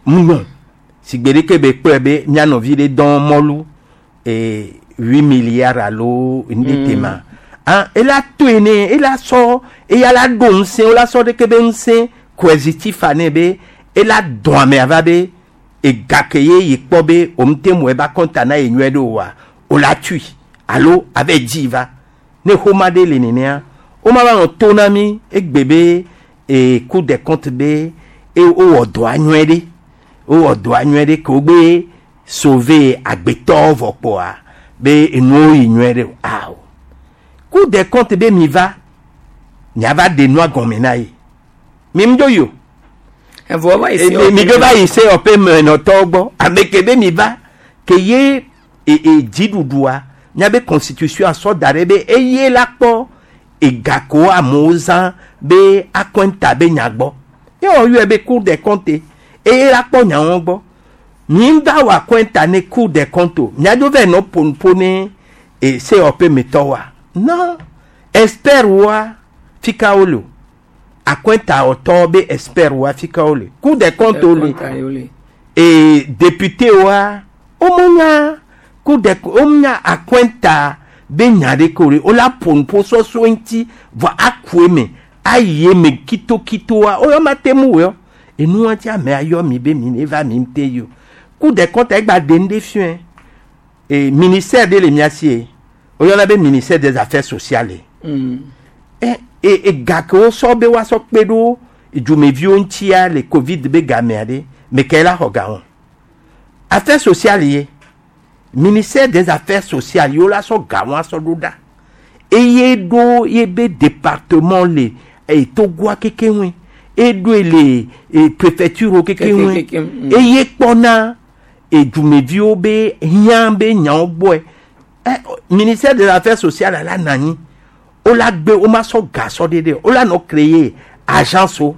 mu si gbe ɖeke be kpɔe be mía nɔvi ɖe dɔn mɔlu 8 milliards alo nu ɖe tema ah ela toe ne ela sɔ eya la ɖo ŋusẽ wola sɔ ɖeke be ŋusẽ coercitif ne be ela dɔn amea va be ega ke ye yi kpɔ be wòm te mu eba kɔnta na ye nyuie ɖe oa o la tui alo ave dzi va ne xoma ɖe le nenea woma va nɔ to na mi egbe be e cour des comptes be e wowɔ dɔa nyuie ɖe wowɔ dɔa nyuie ɖe ke wogbe sauver agbetɔwo vɔ kpoa be enuwo yi nyuie ɖe o awo cour des comptes be mi va miava ɖe nua gɔme na ye mi ŋdo yi o Evɔ va yi se mi dzo va yi COP menɔtɔwo gbɔ ame ke be mi va ke ye e e dziɖuɖua miabe constitution sɔ da ɖe be eye la kpɔ egako amewo zã be akɔnta be nya gbɔ ye wɔ yɔe be cour des comptes eye la kpɔ nyawo gbɔ mi va wɔ akɔnta ne cour des comptes o miadzo vɛ nɔ ƒonuƒo ne e COP metɔwoa non expert woa fika wo le o. Akɔnta wɔtɔ be expert wo afi ka wole? Cour des comptes wole. Compte wole. E député wa womonya cour des womonya akɔnta be nya ɖe ke wole wola ƒo nuƒo sɔsɔ ŋuti vɔ aku eme ayi eme kitokitoa woyɔ ma te mu wɔyɔ enua ti ame ayɔ mi be mi ne va mi te yi o. Cour des comptes egba ɖe nu ɖe fiɔe e ministère ɖe le mia si ye woyɔna be ministère des affaires sociales. E e e ga ke wosɔ be woasɔ kpe ɖo dzumeviwo ŋutia le covid be gamea ɖe me ke la xɔ ga wɔn affaires sociales ye ministère des affaires sociales ye wola sɔ ga wɔn asɔ ɖo ɖa eye ɖo ye be département le e Togoa keke ŋue eɖoe le e préfecture keke ŋue Keke, eye kpɔna e dzumeviwo be hiã be nyawo gbɔe ɛ ministère des affaires sociales la nɔ anyi wola gbe woma sɔ ga sɔ ɖe ɖe wola nɔ créer agence wo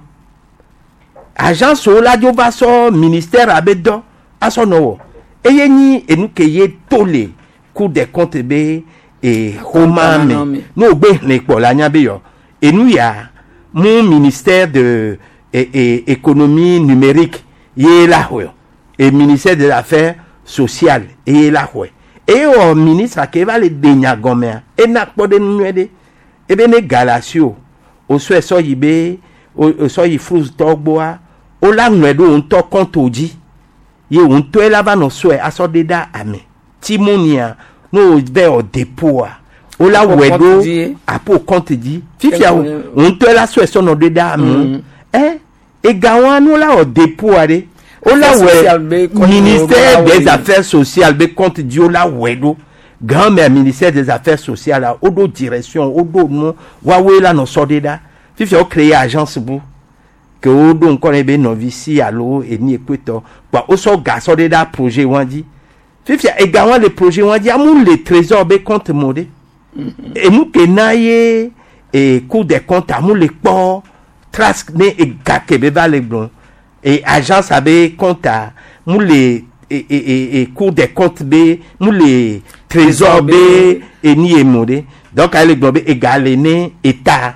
agence wo la dzo va sɔ ministère abe dɔ asɔ nɔ wɔ eye nyi enu ke ye to le cour des comptes be e xɔma me ne wo gbe xlẽ kpɔ la nya be yɔ enu ya mu ministère de e, e, économie numérique ye la xɔe e ministère des affaires sociales eye la xɔe eye wɔ ministre ke va le de nya gɔmea ena kpɔ ɖe nu nyuie ɖe ebe ne ga le asi o wosɔe sɔ yi be o sɔ yi FROUS tɔ gbɔa wola ŋlɔe ɖo wo ŋutɔ compte dzi ye wo ŋutɔe la va nɔ sɔe asɔ ɖe ɖa ame timonia ne wo vɛ wɔ dépôt wola Apo wɔe compte ɖo dzi. apo compte dzi fifia wo wo ŋutɔe la sɔe sɔ nɔ ɖe ɖa amewo ɛ ega wa ne wola wɔ dépôt ɖe wola Affaires sociales wɔe be compte ministère wo la des wɔe. affaires sociales be compte dzi wola wɔe ɖo grand mère ministère des affaires sociales la woɖo direction woɖo nu woawoe la nɔ sɔ ɖe ɖa fifia wo créer agence bu ke woɖo ŋkɔ ne be nɔvi si alo eni ekpetɔ kpa wosɔ ga sɔ ɖe ɖa projet wa dzi fifia ega wa le projet wa dzi amu le trésor be compte mo ɖe enu ke na ye e cour des comptes amu le kpɔ trace ne ega ke be va le gblɔ e agence abe compte a mu le e e e e cour des comptes be mu le trésor be eni ye mo ɖe donc ale gblɔ be ega le ne état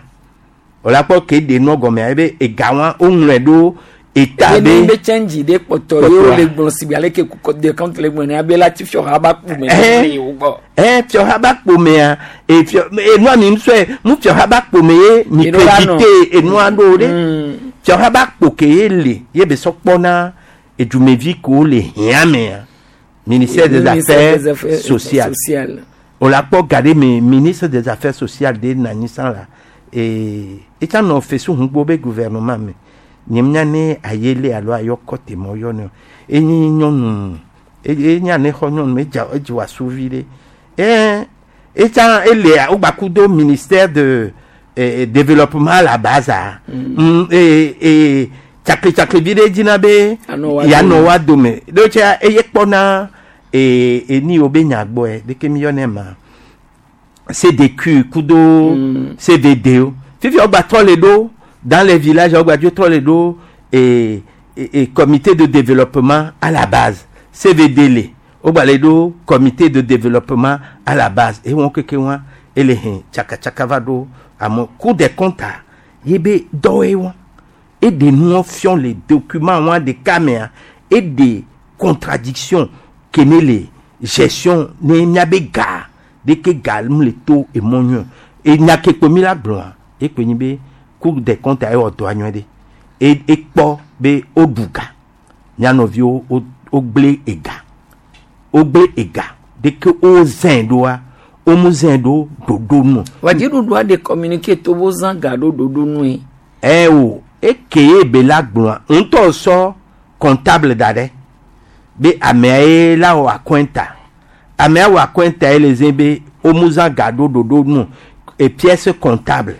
wòle kpɔ ke ɖe nua gɔmea ebe ega wa woŋlɔe ɖo état ebe ne be be change ɖe kpɔtɔ ye wole gblɔ si be ale ke cour des comptes le gblɔ ne abe la ti fiɔ ha ba kpu me Eh. ne yewo gbɔ. ɛ fiɔha ba kpomea e fiɔ enua mi ŋusɔe mu fiɔha ba kpome ye mi Eno la nɔ. crédité enua ɖo ɖe fiɔha ba kpo ke ye le ye be sɔ kpɔna edumevi kewo le hiã mea ministère des Ministère affaires des Affaires sociales sociales. o la kpɔ ga ɖe me ministre des affaires sociales de nɔ anyi sã la ee etsa nɔ fesu ŋugbo be gouvernement me nye mnya ne ayele alo ayɔ kɔte mɔ yɔ ne o enyi nyɔnu enya ne xɔ nyɔnu edza edzi wɔ asuvi ɖe ɛɛ etsa ele wogbaku do ministère de développement à la base a ee ee tsakli vi ɖe dzina be Anɔ wa yanɔ dome. wa dome ɖo tsa eye kpɔna ee eni wo be nya gbɔe ɖeke mi yɔnɛ ma CDQ kudo CVD o fifi wogba trɔ le ɖo dans les villages wogba dzo trɔ le ɖo e e e comité de développement à la base CVD le wogba le ɖo comité de développement à la base eye wɔn keke wa ele hɛn tsakatsaka va ɖo ame cour des comptes a ye be dɔwoe wɔn eɖe nuwo fiɔ le document wa ɖeka mea eɖe contradiction ke ne le gestion ne miabe ga ɖeke ga mu le to emɔ nyuie enya ke kpe mi la gblɔa ekpe nyi be cour des comptes ewɔ dɔa nyuie ɖe e ekpɔ be woɖu ga mia nɔviwo wo wogblẽ ega wogblẽ ega ɖeke wozãe ɖoa womu zãe ɖo ɖoɖo nu. Wa dziɖuɖua ɖe communiqué to bo zã ga ɖo ɖoɖo nue. ɛ o eke ye be la gblɔa ŋutɔ sɔ comptable da ɖe be amea ye la wɔ akɔnta amea wɔ akɔnta ye le ze be womu zã ga ɖo ɖoɖo nu e pièce comptable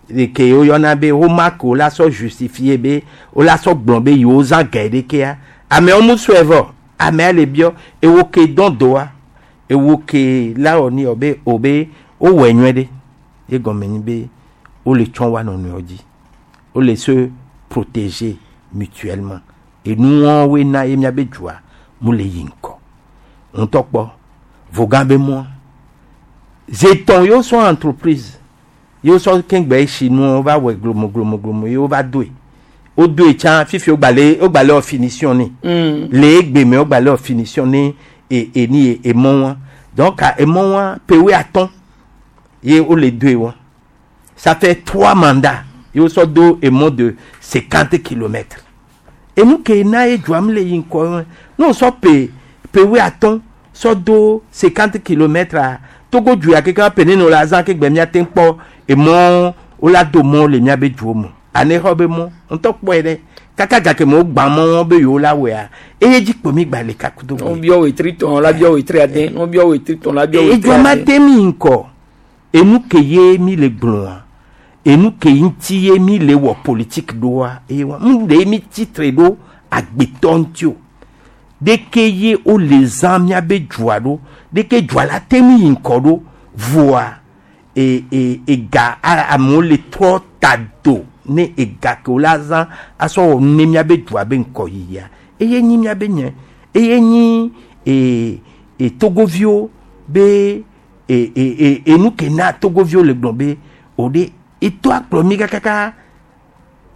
ke woyɔna be woma ke wola sɔ justifier be wola sɔ gblɔ be yewo zã ga yi ɖekea ameawo mu sɔe vɔ amea le biɔ ewo ke dɔn doa ewo ke la wɔ ni yɔ be o be wowɔe nyuie ɖe ye gɔme nyi be wole tsɔ wa nɔnɔewo dzi wole se protéger mutuellement enuwoe na ye miabe dzoa mu le yi ŋkɔ ŋutɔ kpɔ vogan be mɔa zetɔn yewo sɔ entreprise Ye wosɔ kengbe tsi nua wova wɔe glomo glomo glomo ye wova doe. Wodoe tsã fifi wogba le wogba le wɔ finition nɛ. Le egbe me wogba le wɔ finition ne e eni ye emɔ wa. Donc emɔ wa pewe atɔ̃ ye wole doe wa. Ça fait trois mandats. Ye wosɔ do emɔ de 50 kilomètres. Enu ke na ye dzoa mi le yi ŋkɔ wɔn. Ne wosɔ pe pewe atɔ̃ sɔ do 50 kilomètres a Togo du ya keke pe ne no la zã ke gbe miate ŋu kpɔ emɔ wola do mɔ le miabe duwo me. Ane xɔ be mɔ ŋutɔ kpɔe ɖe kaka gake me wogbã mɔ wɔn be yewo la wɔea eye dzi kpo mi gba le kakudo gbe. Wobia wetri tɔn la bia wetri ade, wobia wetri tɔn la bia wetri Edua ma ade. te mi ŋkɔ enu ke ye mi le gblɔa enu ke ŋuti ye mi le wɔ politique ɖoa eye wa nu ɖe mi tsitre ɖo agbetɔ ŋuti o. Ɖeke ye wole zã miabe dua ɖo ɖeke dua la te mi yi ŋkɔ ɖo voa e e ega a amewo le trɔ ta do ne ega ke wola zã asɔ wɔ nu ne miabe dua be ŋkɔ yiyia eye nyi miabe nye eye nyi e e togoviwo be e e e enu ke na togoviwo le gblɔ be o ɖe eto akplɔ mi kakaka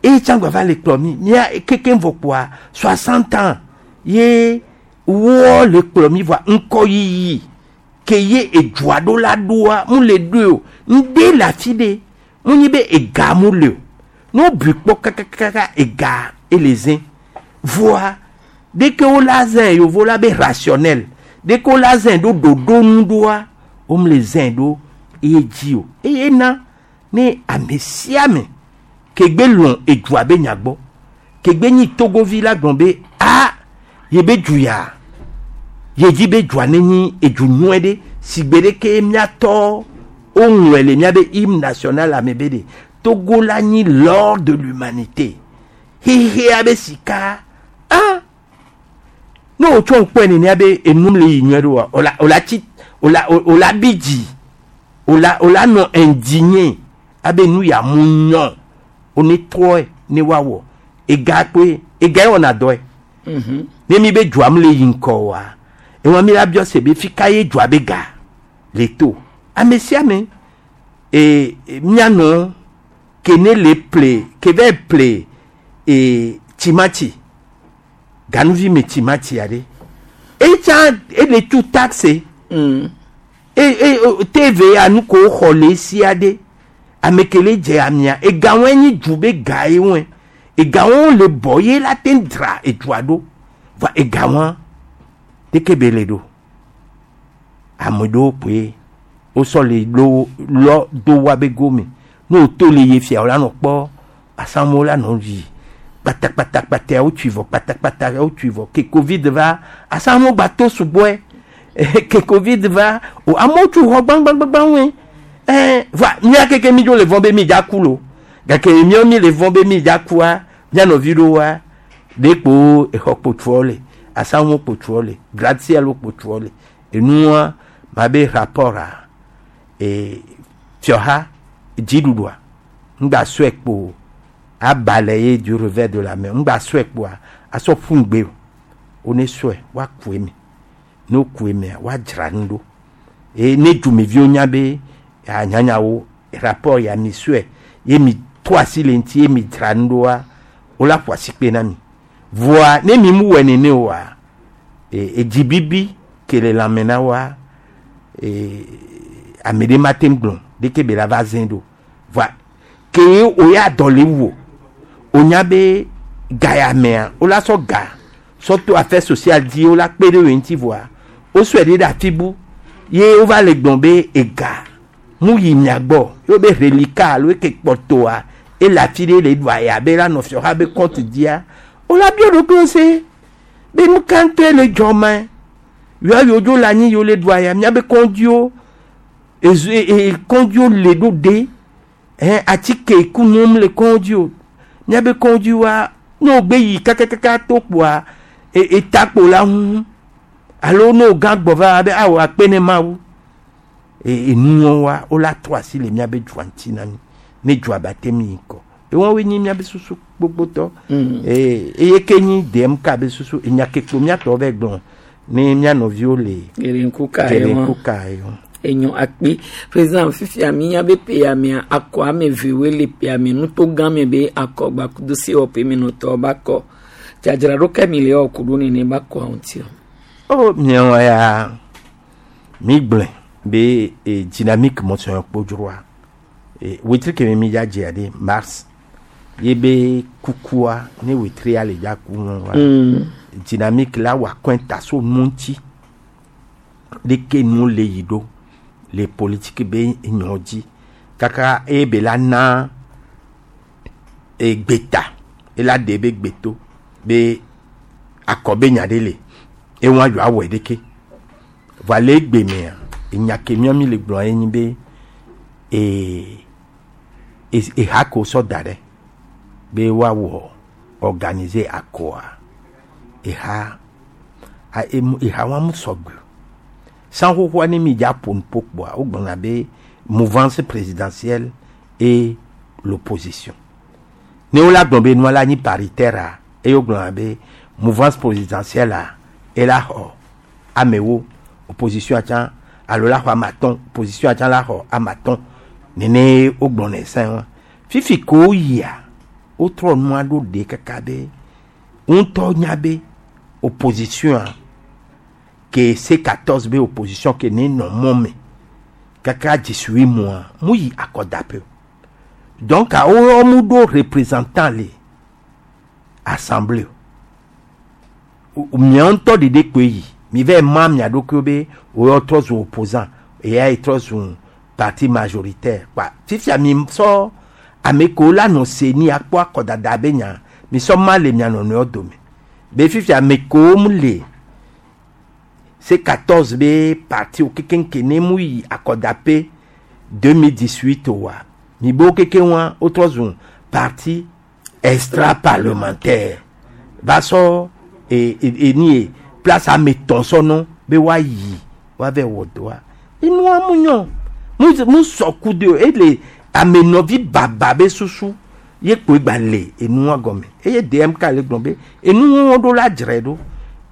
eye tsã gba va le kplɔ mi mía kekem vɔ kpoa 60 ans ye wɔ le kplɔ mi vɔa ŋkɔyiyi ke ye edua ɖo la ɖoa mu le ɖoe o ŋɖe le afi ɖe mu nyi be ega mu le o ne wobui kpɔ kakakaka ega ele zẽ voa ɖeke wola zẽ yovo la be rationnel ɖeke wola zẽ ɖo ɖoɖo nu ɖoa wome le zẽ ɖo eye dzi o eye na ne ame sia ame ke gbe lɔ̃ edua be nya gbɔ ke gbe nyi togovi la gblɔ be a ye be du ya ye dzi be dua ne nyi edu nyuie ɖe si gbe ɖeke miatɔ woŋlɔe le miabe hymne national ame be ɖe Togo la nyi l'or de l'humanité xexea be sika ah ne wotsɔ ŋkpɔe nenea be enum le yi nyuie ɖo wa ola ola tsi ola ola bi dzi ola ola nɔ indigné abe nu ya mu nyɔ one trɔe ne woawɔ ega kpoe ega ye wɔna dɔe ne mi be dua mu le yi ŋkɔ oa ewa mi la biɔ se be fi ka ye dua be ga le to ame sia ame e mianɔ ke ne le ple ke va ple e timati ganuvi me timati aɖe etsa ele tu taxe e e TVA nu ko xɔ le esi aɖe ame ke le dze amia ega wɔe nyi du be ga ye wɔe ega wɔe le bɔ ye la te dra edua ɖo va ega wɔa ɖeke be le ɖo ame ɖewo koe wosɔ le lo lɔ do wa be gome ne woto le ye fia wo la nɔ kpɔ asamewo la nɔ yi kpatakpatakpata wotui vɔ kpatakpata wotui vɔ ke covid va asamewo gba to sugbɔe ke covid va o amewo tu xɔ gbãgbãgbãgbã wɔe ɛɛ va mía keke mi dzo le vɔn be mi dza ku lo gake míawo mi le vɔn be mi dza kua mía nɔvi ɖewoa ɖe kpo exɔ kpotuawo le asamewo kpotuawo le gratte-ciel kpotuawo le enua ma be rapport a e fiɔha dziɖuɖua ŋgba sɔe kpo abalɛ ye du revers de la main ŋgba sɔe kpoa asɔ ƒu ŋgbe o wone sɔe woaku eme ne woku emea woadzra nu ɖo eye ne dumeviwo nya be anyanyawo rapport ya mi sɔe ye mi to asi le ŋuti ye mi dzra nu ɖoa wola ƒo asikpe na mi voa ne mi mu wɔe nene oa e edzibibi ke le lãme na woa e ame ɖe ma te ŋu gblɔ ɖeke be la va zẽ ɖo voa ke o ya dɔ le wu o nya be ga ya mea wola sɔ ga sɔ to affaire sociale dzi wola kpe ɖe wo ŋuti voa wosɔe ɖe ɖe afi bu ye wova le gblɔ be ega mu yi mia gbɔ ye wo be reliquat alo eke kpɔtɔa ele afi ɖe le ɖu aya be la nɔ fiɔha be compte dzia wola biɔ ɖokuiwo se be nu ka ŋutɔe le dzɔ ma yɔ yewo dzo le anyi yewo le ɖu aya miabe kɔndziwo ezu e kɔndziwo le ɖo ɖe ɛn atike ku nom le kɔndzi o miabe kɔndziwoa ne wogbe yi kakakaka to kpoa e etakpo la ŋu alo ne wogã gbɔ va be awɔ akpe ne mawu e enuwɔwoa wola trɔ asi le miabe dua ŋuti na mi ne dua ba te mi yi ŋkɔ ewɔwoe nyi miabe susu gbogbotɔ ee eye ke nyi DMK be susu enya ke kpo miatɔ vɛ gblɔ ne mia nɔviwo le Gerenku ka ye Gerenku ka ye wɔn. Enyo akpe. Président fifia mi nya be peya mea akɔ ame vewoe le peya me nuto gã me be akɔ gbakudo sewɔƒe me nɔtɔwo ba kɔ. Dzadzraɖo ke mi le wɔ ku ɖo nene ba kɔa ŋuti o. O miawo ya mi gblɔe be e, dynamique mɔsɔn kpodzroa e, wetri kemi mi dza dzea ɖe mars ye be kukua ne wetria le dza ku ŋu wa dynamique la wɔ akɔnta so nu ŋuti leke nu le yi ɖo le politique be nyɔ dzi kaka eye be la na e, gbeta ela ɖe be gbeto be akɔ be nya ɖe le eŋua yewoa awɔe ɖeke vɔa le egbe mea enya ke míawo mi le gblɔ ye nyi be ee eha ke wosɔ da ɖe be woawɔ organiser akɔa eha a emu eha wa mu sɔgbe o san xoxoa ne mi dza ƒo nuƒo kpoa wogblɔna be mouvance présidentielle et l'opposition ne wola gblɔ be nua la nyi paritaire a eye wogblɔna be mouvance présidentielle a ela xɔ amewo opposition tsã alo la xɔ ame atɔ̃ opposition tsã la xɔ ame atɔ̃ nene wogblɔnɛ sẽ wa fifi ko woyia wotrɔ nua ɖo ɖe kaka be ŋutɔ nya be opposition ke C14 be opposition ke ne nɔ mɔ me kaka dzesui mɔa mu yi akɔdaƒe o donc woyɔ mu ɖo représentant le assemblée o miawo ŋutɔ ɖeɖe koe yi mi va ma mia ɖokuiwo be woyɔ trɔ zu opposant eya yi trɔ zu parti majoritaire kpa fifia mi sɔ ame kewo la nɔ se ni akpɔ akɔdada be nya mi sɔ ma le mia nɔnɔewo dome be fifia ame kewo mu le C14 be parti wo kekeŋke ne mu yi akɔdaƒe 2018 oa mi be wo kekeŋua wotrɔ zu parti extra parlementaire va sɔ e e eni ye place ame etɔ̃ sɔ nɔ be woayi woava wɔ dɔa enua mu nyɔ mu mu sɔ ku de o ele ame nɔvi baba be susu ye kpoe gba le enua gɔme eye DMK le gblɔ be enuwo ɖo la dzrae ɖo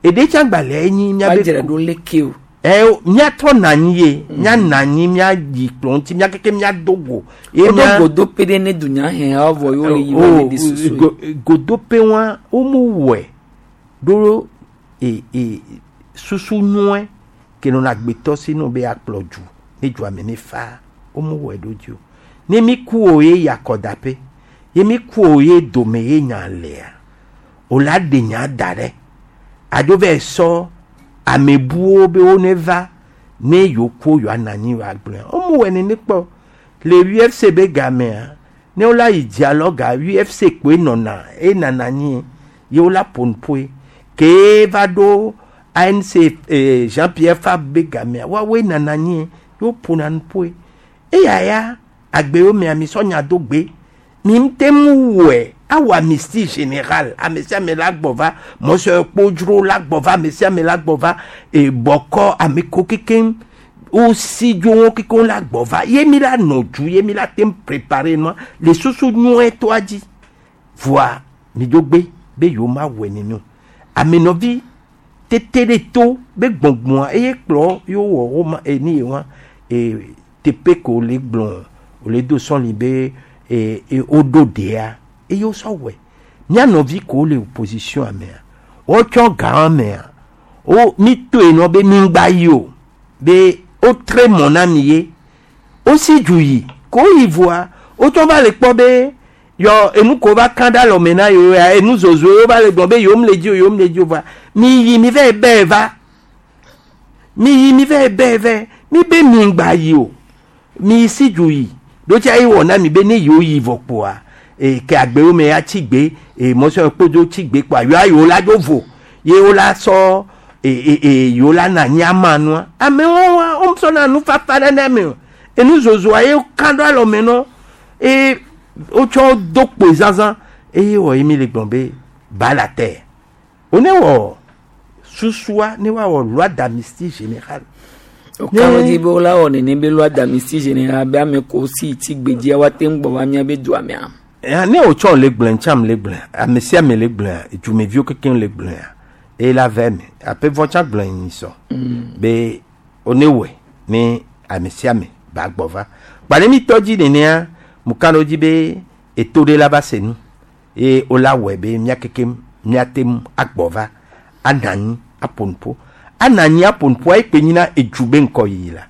eɖe tsã gba le enyi miabe Woadzrae ɖo leke o. ɛ míatrɔ nɔ anyi ye míanɔ anyi míayi kplɔ ŋuti mía keke míado go. Ye Woɖo mía- godope ɖe ne dunyahehawo vɔ yewo le yi O, wo le ɖe susu. godope wa womu wɔe ɖo e e susu nyɔe ke nɔna agbetɔ si no be akplɔ du ne dua me ne fa womu wɔe ɖo dzi o ne mi ku o ye yi akɔdaƒe ye mi ku o ye dome ye nya lea o la ɖe nya da ɖe adzo va sɔ amebuwo be wo ne va ne yewo ku yewoa nɔ anyi yewoa gblɔe womu wɔe nene kpɔ le UFC be gamea ne wola yi dialogue UFC kpoe nɔna enana anyi ye wola ƒo nuƒoe ke va ɖo ANC eh, Jean Pierre Fabre be gamea woawoe nana anyi ye woƒona nuƒoe eya ya agbewo mea mi sɔ nya do gbe mi ŋute ŋu wɔe awɔ amnistie générale ame sia ame la gbɔ va mɔsɔ kpodzro la gbɔ va ame sia ame la gbɔ va e bɔkɔ ame ko kekeŋ wosi dzo wo kekeŋ la gbɔ va ye mi la nɔ du ye mi la te ŋu préparer nua le susu nyuie toa dzi voa mi dzo gbe be yewo ma wɔe nene o amenɔvi tete ɖe to be gbɔngbɔa eye kplɔ yewo wɔ wo ma eni ye wa e teƒe ke wòle gblɔ wòle do sɔli be e e woɖo ɖea eye wosɔ wɔe mía nɔvi kewo le opposition mea wotsɔ gã mea wo mi toe nɔ be mi ŋgba yi o be wotre mɔ na mi ye wosi du yi ko yi voa wotsɔ va le kpɔ be yɔ enu ko va kan ɖe alɔme na yewo ya enu zozo yewo va le gblɔ be yewo le dzi o yewo le dzi o voa mi yi mi va yi bɛ va mi yi mi va yi bɛ vɛ mi be mi ŋgba yi o mi si du yi ɖo tsa ye wɔ na mi be ne yewo yi vɔ kpoa e ke agbewo me ya tsi gbe e mɔsɔ kpodzo tsi gbe kpoa yewoa yewo la dzo vo ye wo la sɔ e e e yewo la na anyi ama nua amewo wa wo sɔna nufafa ɖe na ame o enu zozoa ye kan ɖo alɔme nɔ eye wotsɔ do kpoe zazã eye wɔ ye mi le gblɔ be ba la terre wo ne wɔ susua ne woawɔ loi d'amnistie générale Okawo dzi be wola wɔ nene be loi d'amnistie générale be ame ko si tsi gbedzia woate ŋu gbɔ va míabe dua mea. Eh, ne wotsɔ le gblɔe ntsam le gblɔe ame sia ame le gblɔe dzumeviwo kekeŋ le gblɔea eye la vɛ me aƒe vɔ tsã gblɔe nyi sɔ be wo ne wɔe ne Ame sia ame ba gbɔ va. Kpa ne mi tɔ dzi nenea, mu ka ɖo dzi be eto ɖe la va se nu eye wola wɔe be mía kekem míate ŋu agbɔ va anɔ anyi aƒo nuƒo. Anɔ anyi aƒo nuƒoa ekpe nyina edzu be ŋkɔyiyi la.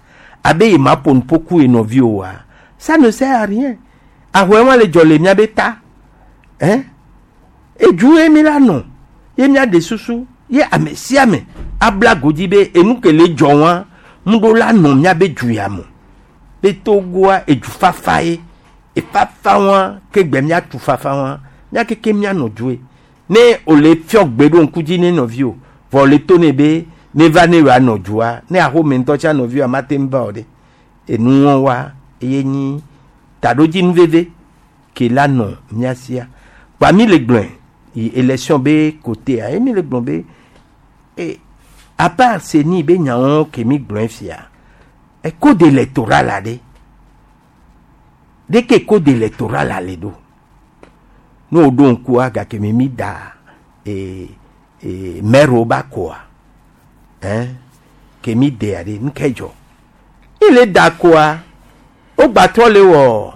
Abe ye ma ƒo nuƒo ku ye nɔvi oa, ça ne sert à rien. Ahɔe wa le dzɔ le míabe ta. Hein? Edzu ye mi la nɔ ye míaɖe susu ye ame sia ame abla godzi be enu ke le dzɔ wa ŋuɖo la nɔ míabe du ya me. Be Togoa edzu fafa ye. Efafa wa ke gbe míatu fafa wa mía keke míanɔ dzoe. Ne wòle fiɔ gbe ɖo ŋku dzi ne nɔviwò vɔ wòle to nɛ be neva ne yewoanɔ dzoa ne axome ŋutɔ tsã nɔviwòa mate ŋu va o ɖe. Enuwɔ wa eye nyi taɖodzinu veve ke la nɔ mía sia. Kpa mi le gblɔe yi élection be côté ye mi le gblɔ be e à part CENI be nyawo ke mi gblɔe fia e code électoral la ɖe ɖeke code électoral la le ɖo. Ne woɖo ŋkua gake mi mi da e e maire ba koa hein ke mi dea ɖe nu ke dzɔ. Il est d'accord. Wogbatrɔ le wɔ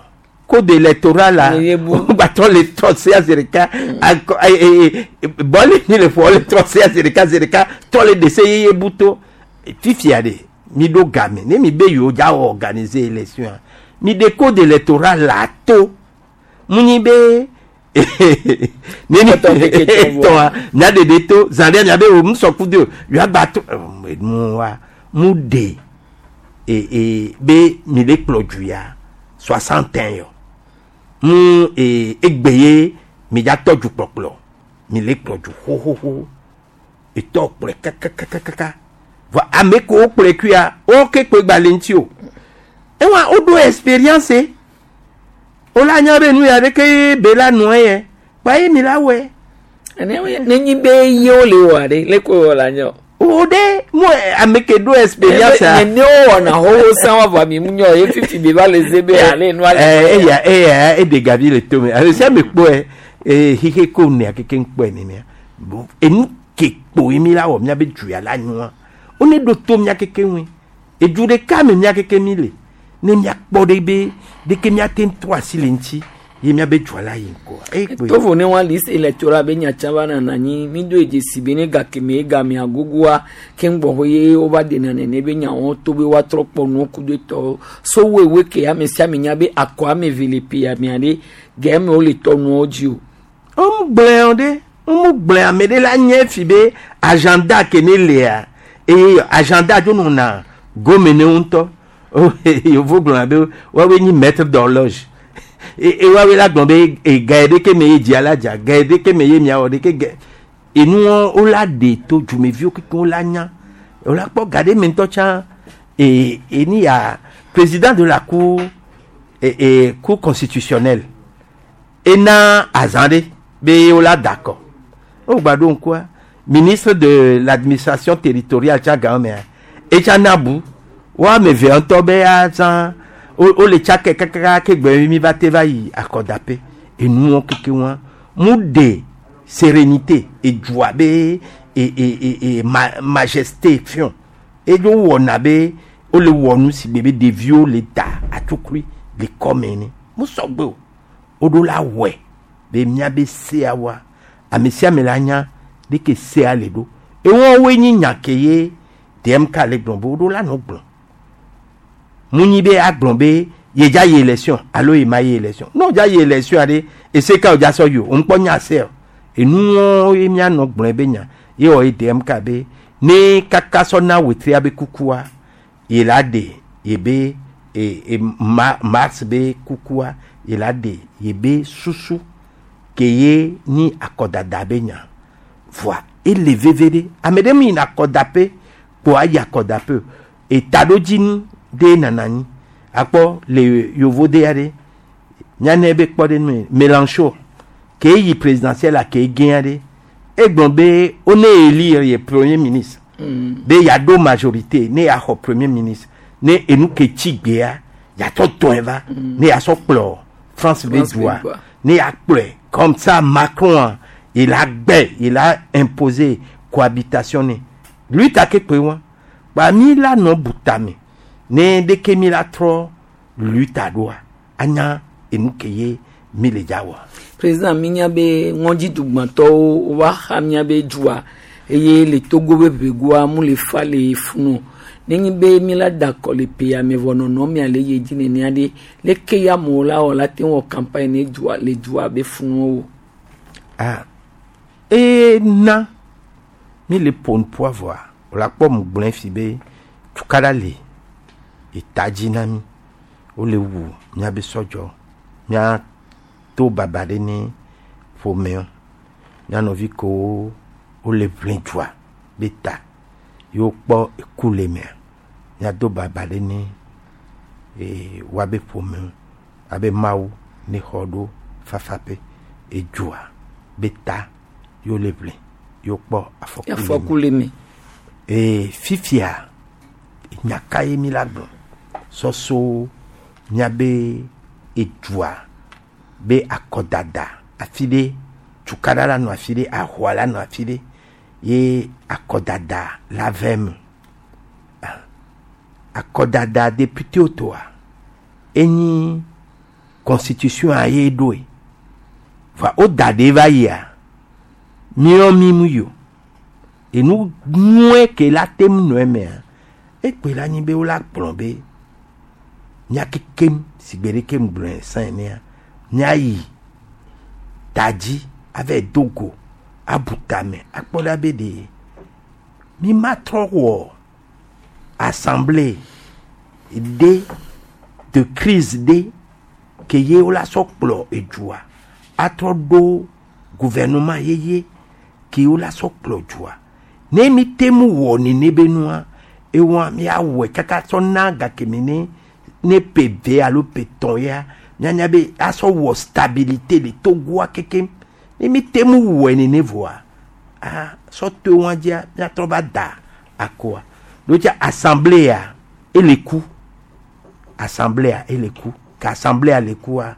code électoral la wogbatrɔ le trɔ sea zi ɖeka akɔ e e bɔli mi le ƒo le trɔ sea zi ɖeka zi ɖeka trɔ le dese yeye bu to fifia ɖe mi ɖo game ne mi be yewo dza wɔ organiser élection mi ɖe code électoral la to mu nyi be ne mi tɔa mia ɖeɖe to zã ɖe mia be o mu sɔ ku de o yewoagba to enu wa mu ɖe e e be mi le kplɔ du ya 61 yɔ mu e egbe ye mi dza tɔ du kplɔkplɔ mi le kplɔ du xoxoxo etɔ kplɔe kakakakaka vɔ ame kewo kplɔe kuia wo ke kpe gba le ŋuti o ewa woɖo expérience wola nya be nu ya ɖeke be la nɔ ye kpa ye mi la wɔe. Nenyi be yewo le wɔa ɖe leke wɔ la nye o. O ɖe mu ame ke ɖo expérience a. Nene wo wɔna xoxo sã wa vɔ mi mu nyɔ ye fifi be va le ze be ale nua le. Eya eya eɖe gavi le tome ame sia ame kpɔe ee xixe ko nea keke ŋkpɔe nenea bon enu ke kpo ye mi la wɔ miabe du ya la nyoa wone ɖo to mia keke ŋui edu ɖeka me mia keke mi le ne miakpɔ ɖe be ɖeke miate ŋu trɔ asi le ŋuti ye miabe dua la yi ŋkɔa eye kpoe. Tovo ne wa liste électorale be nyatsa va nana anyi mi do dzesi be ne gake me egame agogoa ke ŋgbɔ ye wova dena nene be nyawo to be woatrɔ kpɔ nuwo ku do etɔwo so woewoe ke ame sia ame nya be akɔ ame eve le ƒe amea ɖe gɛme wole tɔ nuwo dzi o. Womu gblẽ o ɖe womu gblẽ ame ɖe la nye fi be agenda ke ne lea eye agenda dzo nɔna gome ne ŋutɔ yevu gblɔna be woawoe nyi maître d'horloge e woawoe la gblɔ be ega yi ɖeke me ye dzia la dza ga yi ɖeke me ye miawɔ ɖeke ge enuwo wola ɖe to dzumeviwo kekeŋ wola nya wola kpɔ ga ɖe me ŋutɔ tsã e eni ya président de la cour e e cour constitutionnelle ena azã ɖe be wola da akɔ wogba ɖo ŋkua ministre de l'administration territoriale tsa ga mea etsa na bu wo ame eve ŋutɔ be azã wole tsakɛ kakaka ke gbe mi va te va yi akɔdaƒe enuwo keke wa mu ɖe sérénité edua be e e e e ma majesté fiɔ edzo wɔna be wole wɔ nu si gbe be ɖeviwo le da atukui le kɔme ne mu sɔgbe o woɖo la wɔe be miabe sea wa ame sia ame la nya ɖeke sea le ɖo ewɔwoe nyi nya ke ye DMK le gblɔ be woɖo la nɔ gblɔ mu nyi be agblɔ be yedza yi élection alo ye ma yi élection ne wòdza yi élection aɖe ese ka wòdza sɔ yi o ŋkpɔ nya se o enuwo ye mianɔ gblɔe be nya ye wɔ ye DMK be ne kaka sɔ na wetria be kukua ye la ɖe ye be e e ma mars be kukua ye la ɖe ye be susu ke ye nyi akɔdada be nya voa ele veve ɖe ame ɖe mi yina akɔdaƒe kpo ayi akɔdaƒe o etaɖodzinu ɖe nana anyi akpɔ le yovode aɖe mianɛ be kpɔ ɖe nu Mélenchon ke yi présidentielle la ke gɛn aɖe egblɔ be wone élire ye premier ministre be yeaɖo majorité ne yeaxɔ premier ministre ne enu ke tsi gbea yeatsɔ tɔe va ne yeasɔ kplɔ France be dua ne yeakplɔe comme ça Macron il a gbɛ il a imposé cohabitation ne lui ta ke kpe wa kpa mi la nɔ butame. Ne ɖeke mi la trɔ luta ɖoa anya enu ke ye mi le dza wɔ. Président minya be ŋɔdzidugbãtɔwo wova xa miabe dua eye le Togo be ʋegoa mu le fa le funu. Nenye be mi la da akɔ le ƒea me vɔ nɔnɔ mia le ye dzi nenea ɖe leke ya amewo la wɔ la te wɔ campagne ne dua le dua be funuwo. Ah, eye na mi le ƒo nuƒoa vɔa wòle akpɔ mu gblɔe fi be tukaɖa le eta dzi na mi wole wu miabe sɔdzɔ mia to baba ɖe ne ƒomewo mia nɔvi kewo wole ʋli dua be ta ye wokpɔ eku le mea miado baba ɖe ne ee woabe ƒomewo abe mawu ne xɔ ɖo fafaƒe edzua be ta ye wole ʋli ye wokpɔ afɔku Afɔku le me. Ee fifia nya ka ye mi la gblɔ sɔso miabe edua be akɔdada afi ɖe tukaɖa la nɔ afi ɖe ahoa la nɔ afi ɖe ye akɔdada la vɛ me. Ah, akɔdada député toa enyi constitution a ye ɖoe va wo da ɖe va yia míɔ mi mu yi o enu nyuie ke la te ŋu nɔ emea ekpe la nyi be wola gblɔ be mía kekem si gbe ɖeke mu gblɔe sã enea míayi ta dzi ava do go abu tame akpɔ ɖa be ɖe mi ma trɔ wɔ assemblée ɖe de crise ɖe ke ye wola sɔ kplɔ edzua atrɔ ɖo gouvernement yeye ke wola sɔ kplɔ dzua ne mi te mu wɔ nene be nua ewa miawɔe kaka sɔ na gake mi ne ne ƒe ve alo ƒe tɔn ya mianya be asɔ wɔ stabilité le Togoa kekem ne mi te mu wɔe nene vɔa ah sɔ to wa dzia miatrɔ va da akoa ɖo tsa assemblée ya ele ku assemblée ele ku ke assemblée le kua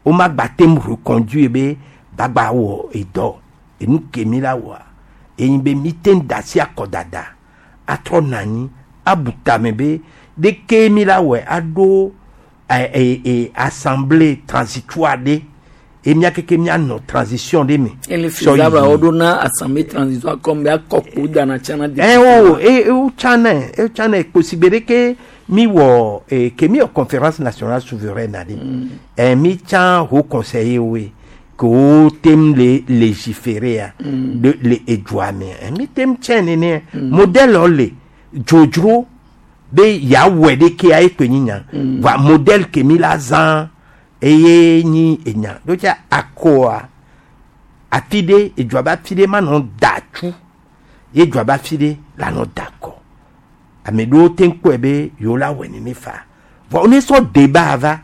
woma gba te mu reconduire be gbagba wɔ edɔ enu ke mi la wɔa eyi be mi te da si akɔdada atrɔ na anyi abu tame be ɖeke mi la wɔe aɖo ɛ ɛ ɛ assemblée transitoire ɖe ye mía keke míanɔ transition ɖe me. Ele faisable wo ɖo na assemblée transitoire comme be akɔkpo dana tsana. Ɛ o e o tsana e tsana kposigbe ɖe ke mi wɔ e ke mi wɔ conférence nationale souveraine aɖe ɛ mi tsã haut conseiller woe ke wo tem le légiférer ya de le edua me ɛ mi tem tsɛ nene modèle wo le dzodzro be yeawɔe ɖe kea ekpe nyi nya va modèle ke mi la zã eye nyi enya ɖo tsa akɔa afi ɖe edua be afi ɖe manɔ da tsu ye dua be afi ɖe la nɔ da kɔ ame ɖewo te kpɔe be yewo la wɔe nene fa vɔ ne sɔ débat va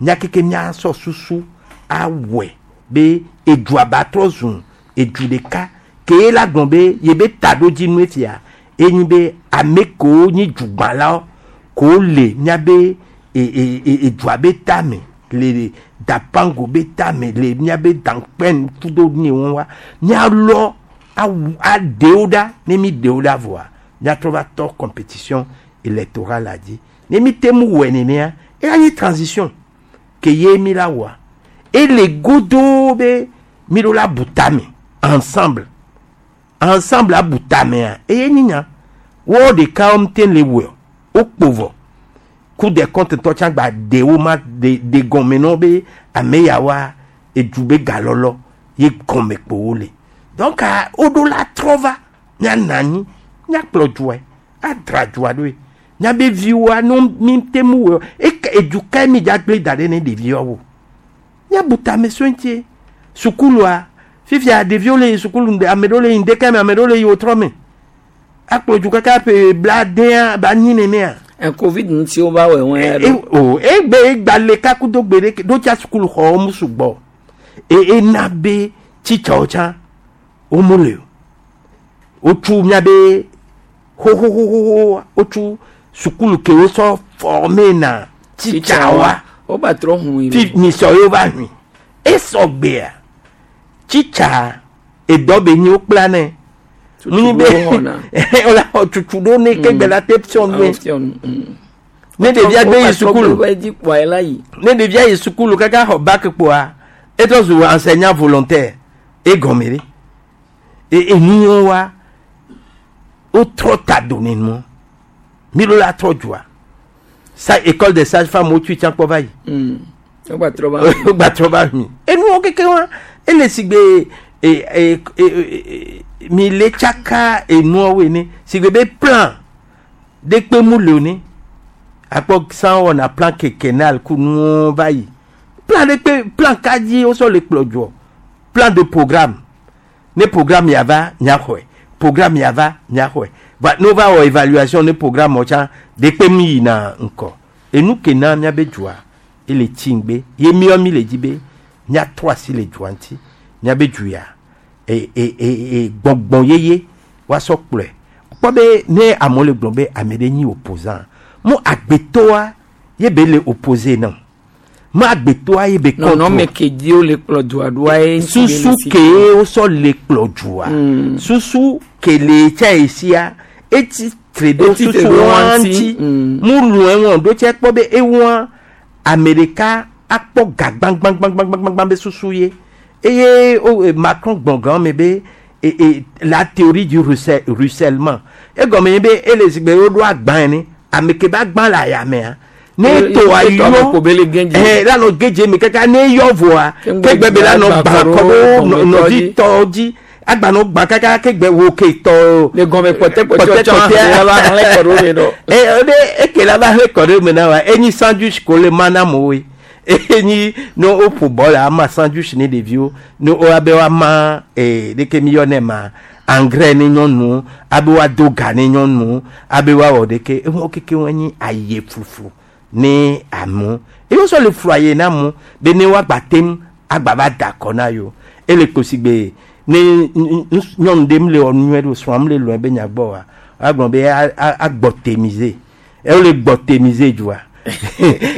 mía keke míasɔ susu awɔe be edua ba trɔ zu edu ɖeka ke ye la gblɔ be ye be taɖodzinu fia enyi be ame kewo nyi dugbãlawo kewo le míabe edua be tame le dapango be tame le míabe dankpɛn kudo ne wɔn wa míalɔ awu aɖewo ɖa ne mi ɖewo ɖa vɔa míatrɔ va tɔ compétition électorale la dzi ne mi te mu wɔe nenea eya nyi transition ke ye mi la wɔa ele godoo be mi ɖo la bu tame ensemble ensemble abu tamea eye nyi nya wo ɖeka wɔm te le wɔe wokpo vɔ Cour des comptes tɔ tsã gba ɖe wo ma de de gɔme nɔ be ame yawoa edu be galɔlɔ ye gɔme kpo wo le donc woɖo la trɔ va míanɔ anyi míakplɔ dua adra dua ɖoe míabe viwoa no mi te mu wɔ eke edu kae mi dza gblẽ da ɖe ne ɖeviawo míabu tame sue ŋutie sukulua fifia ɖeviwo le yi sukulu ame ɖewo le yi ŋdeka me ame ɖewo le yi wotrɔ me akplɔ du kaka ƒe bladea ba nyi nenea. Covid ŋuti wo va wɔ wɔn ya ɖo. O egbe egba kakudo gbe ɖe ɖo tsa sukulu xɔwo mu sugbɔ e ena be tsitsawo tsã wo mu le o wotsu miabe xoxoxoxo wotsu sukulu ke wosɔ former na tsitsawoa. Wo ba trɔ hun yi. Fi nisɔ ye va hui esɔ gbea tsitsa edɔ be nyi wokpla nɛ munyi be wòle xɔ tutu ɖo ne ke gbe la te fiɔ nu. Ne ɖevia gbe yi sukulu. Wo dzi kpɔa ela yi. Ne ɖevia yi sukulu kaka xɔ bac kpoa, etrɔ zu enseignant volontaire. Egɔme ɖe. E enuwo wa, wotrɔ ta do ne nua. Mi ɖo la trɔ dzoa. Sa école des sages femmes wotui tsã kpɔ va yi. Wogba trɔ va. Wogba trɔ va mi. Enuwo keke wa, ele sigbe e e e e mi le tsaka enuawo ene. Sigbe be plan ɖe kpe mu le ne. Akpɔ san wɔna plan quinquennal ku nuwo va yi. Plan ɖe kpe plan ka dzi wosɔ le kplɔ dzoa. Plan de programme. Ne programme ya va miaxɔe. Programme ya va miaxɔe. Va ne wova wɔ évaluation ne programme wɔ tsã ɖe kpe mi yina ŋkɔ. Enu ke na miabe dzoa ele tsi ŋgbe. Ye miɔ mi le dzi be miatrɔ asi le dzoa ŋuti. Miabe dzu ya e e e e gbɔgbɔ yeye woasɔ kplɔe. Kpɔ be ne amewo le gblɔm be ame ɖe nyi opposant, mo agbetɔa ye be le opposé na. Mo agbetɔa ye be contre. Nɔnɔme ke dzi wole kplɔ dzoa ɖoa ye ŋuti be Susu le si ke wosɔ le kplɔ dzoa. Susu ke le tsa esia etsi tre ɖo Etsi tre susu ɖo wa ŋuti. ŋuti. Mu lɔe wɔn ɖo tse kpɔ be ewa ame ɖeka akpɔ ga gbãgbãgbãgbãgbã be susu ye. Eye o Macron gblɔ gã me be e e la théorie du ruissellement. Egɔme nye be ele zigbe woɖo agba ene. Ame ke be agba le ayamea. Ne to E to ame ayɔ ko be le gɛdze. La nɔ gɛdze me kaka ne yɔ vɔa, Ke ŋgbe ke gbe be la nɔ agba gbã kɔ kɔ ɖo ɖo gɔmetɔ nɔvi dzi. tɔ dzi. Agba nɔ gbã kaka ke gbe wo ke tɔ. Le gɔme kpɔtɛ kpɔtɛ Kpɔtɛ tsɔ kpɔtɛ. hã la va hlẽ kɔ ɖo me ɖo. E ɖe eke la va hlẽ kɔ ɖo me na wa. Enyi sandwich ko le mana mo we. Enyi ne woƒo bɔl ama sandwich ne ɖeviwo. Ne wo abe woama ɖeke mi yɔnɛ ma engrais ne nyɔnuwo, abe woado ga ne nyɔnuwo, abe woawɔ ɖeke. Enuwo keke wo nyi aye fufu ne amewo. Eye wosɔ le flu aye na amewo be ne woagba tem agba va da akɔ na yewo. Ele kposi gbe ne nyɔnu ɖe mle wɔ nu nyuie ɖe o, srɔ̃a mle lɔe be nya gbɔ oa, woagblɔ be agbɔtemize. Eye wole gbɔtemize dzoa.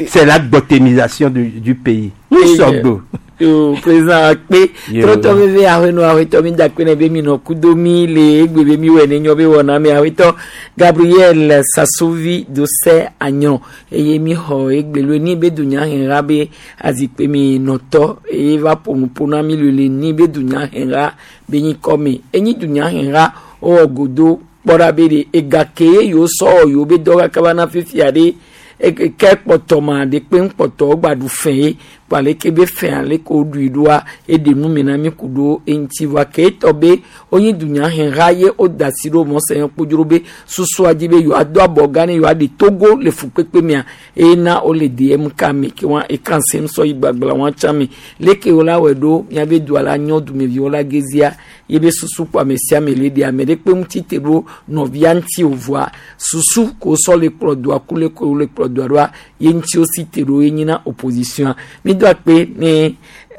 C'est la gbɔtemisation du pays. Nous Eye sommes beaux. Yo, président akpe. Yo. Trɔtɔ veve ahenɔ ahwetɔ mi da akpe ne be mi nɔ kudo mi le egbe be mi wɔ ne nyɔ be wɔna mi ahwetɔ Gabriel Sasovi Dose Anyɔ eye mi xɔ egbe lo ni be dunya hɛnra be azikpe mi nɔtɔ eye va ƒo nu ƒo na mi le le ni be dunya hɛnra be nyi kɔ mi enyi dunya hɛnra wowɔ godo kpɔ ɖa be ɖe ega ke ye yewo sɔ yewo be dɔ kaka va na fifia ɖe ke kpɔtɔ ma ɖe kpe ŋkpɔtɔ wogba ɖu fɛ ye kpa leke be fɛ ale ko ɖui ɖoa eɖe nu me na mi ku ɖo eŋuti vɔa ke etɔ be wonyi dunyaheha ye woda asi ɖo mɔsɛ yɛn kpodzro be susua dzi be yewoado abɔ gã ne yewoaɖe Togo le fukpekpe mea eye na wole DMK me ke wa ekan sem sɔ yi gbagba wa tsã me leke wo la wɔe ɖo miabe dua la nyɔ dumeviwo la gezia ye be susu kpɔ ame sia ame le ɖe ame ɖe kpe ŋuti te ɖo nɔvia ŋuti o vɔa susu ko sɔ le kplɔ dua ku le ko le kplɔ dua ɖoa ye ŋuti wo si te ɖo ye nyina opposition mi do akpe ne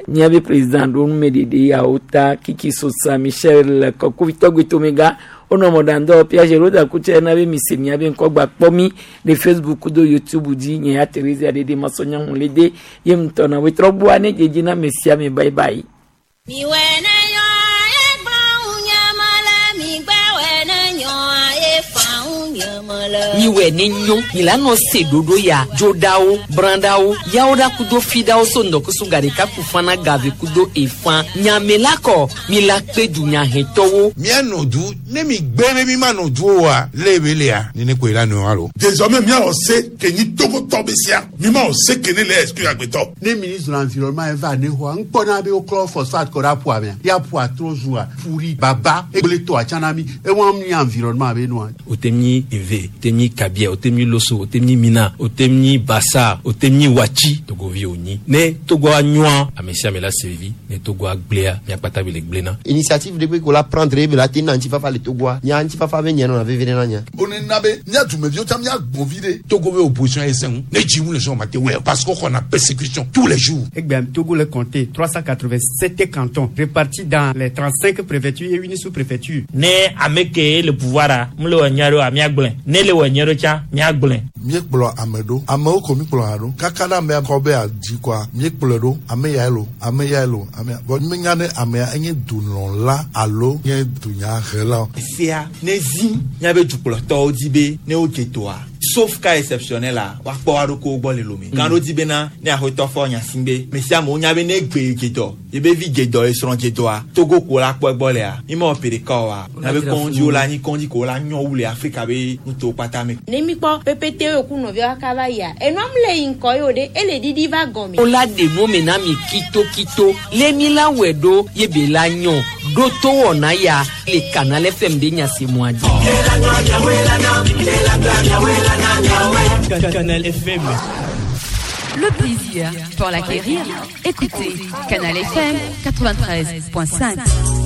miabe président ɖo numeɖeɖe yawo ta Kiki Sosa Michel Kɔkuvitɔ Gbetomega wonɔ mɔɖaŋdɔ Piaget Roda Kutse na be mi se miabe ŋkɔgba kpɔ mi le Facebook do YouTube dzi nye ya Therese Aɖeɖe Masɔnya Hunlede ye ŋutɔ na wetrɔ gbɔa ne dzedzi na ame sia ame bye bye. Mi wɛ ne nyɔ ye gblɔ ŋu nye me le mi gbɛ wɛ ne nyɔ ye fa ŋu nye me le. Miwɛ ne nyo mi la nɔ se ɖoɖo ya dzoɖawo brãɖawo yawo ɖa kudo fiɖawo so ŋdɔkusu ga ɖeka ku fana gave kudo efã nyame la kɔ mi la kpe dunyahɛtɔwo. Mianɔ du ne mi gbe be mi ma nɔ du oa le be lea nene koe la nɔ alo. Désormais miawɔ se ke nyi Togotɔ be sia mi ma wɔ se ke ne le exclure agbetɔ. Ne ministre de l'environnement eva ne xɔa ŋkpɔna be woklɔ phosphate kɔ ɖe aƒua mea ya ƒua trɔ zua ƒuri baba egble tɔa tsã na mi ewa mi environnement be nua. O te nyi Eve, o te nyi Kabia, o te nyi Loso, o te nyi Mina, o te nyi Bassa, o te nyi Wachi, Togovi o nyi. Ne Togo a nyɔa, ame sia ame la se vivi, ne Togo a gblea, miakpata bi le gblena. Initiative de ko la prendre be la te na ŋutifafa le Togoa. Nya ŋutifafa be nye nɔna veve ɖe na nya. One na be mía dumeviwo tsã mía gbɔn vi ɖe. Togo be opposition ye sɛŋ ne dzi ŋu le sɔn ma te wɛ parce qu'on a persécution tous les jours. Egbea Togo le compté 387 cantons répartis dans les 35 préfectures et une sous-préfecture. Ne ame ke le pouvoir a, mu le wɔ nyia ɖo a míagblɔe. Ne le wɔ nyia ɖo tsã míagblɔe. Míekplɔ ame ɖo amewo ko míkplɔ hã ɖo kaka ɖe amea kɔ be adzi kɔa míekplɔe ɖo ame yae lo ame yae lo ame ya vɔ míenya ne amea enye dulɔla alo nye dunyahela. Sia ne zi míabe dukplɔtɔwo dzi be ne wodze toa Sauf cas exceptionnel la woakpɔ wa ɖokuiwo gbɔ le lome. Gã ɖo di bena ne axɔtɔ fɔ nya si be me sia amewo nya be ne gbe dze dɔ yebe vi dze dɔ esrɔ̃ dze dɔa Togo ko la kpɔ egbɔ lea mi mewɔ ƒe ɖeka oa miabe kɔŋdziwo la nyi kɔŋdzi ko la nyɔ wu le Afrika be nutowo kpata me. Ne mi kpɔ pepete yo ku nɔviawo kaka va yia, enua mu le yi ŋkɔ yo ɖe, ele ɖiɖi va gɔme. Wola ɖe nu me na mi kitokito le mi la wɔe ɖo ye be la nyɔ ɖo to wɔna ya le Canal FM be nyasemɔa dzi. Canal FM. Le plaisir, pour l'acquérir, écoutez Canal FM 93.5.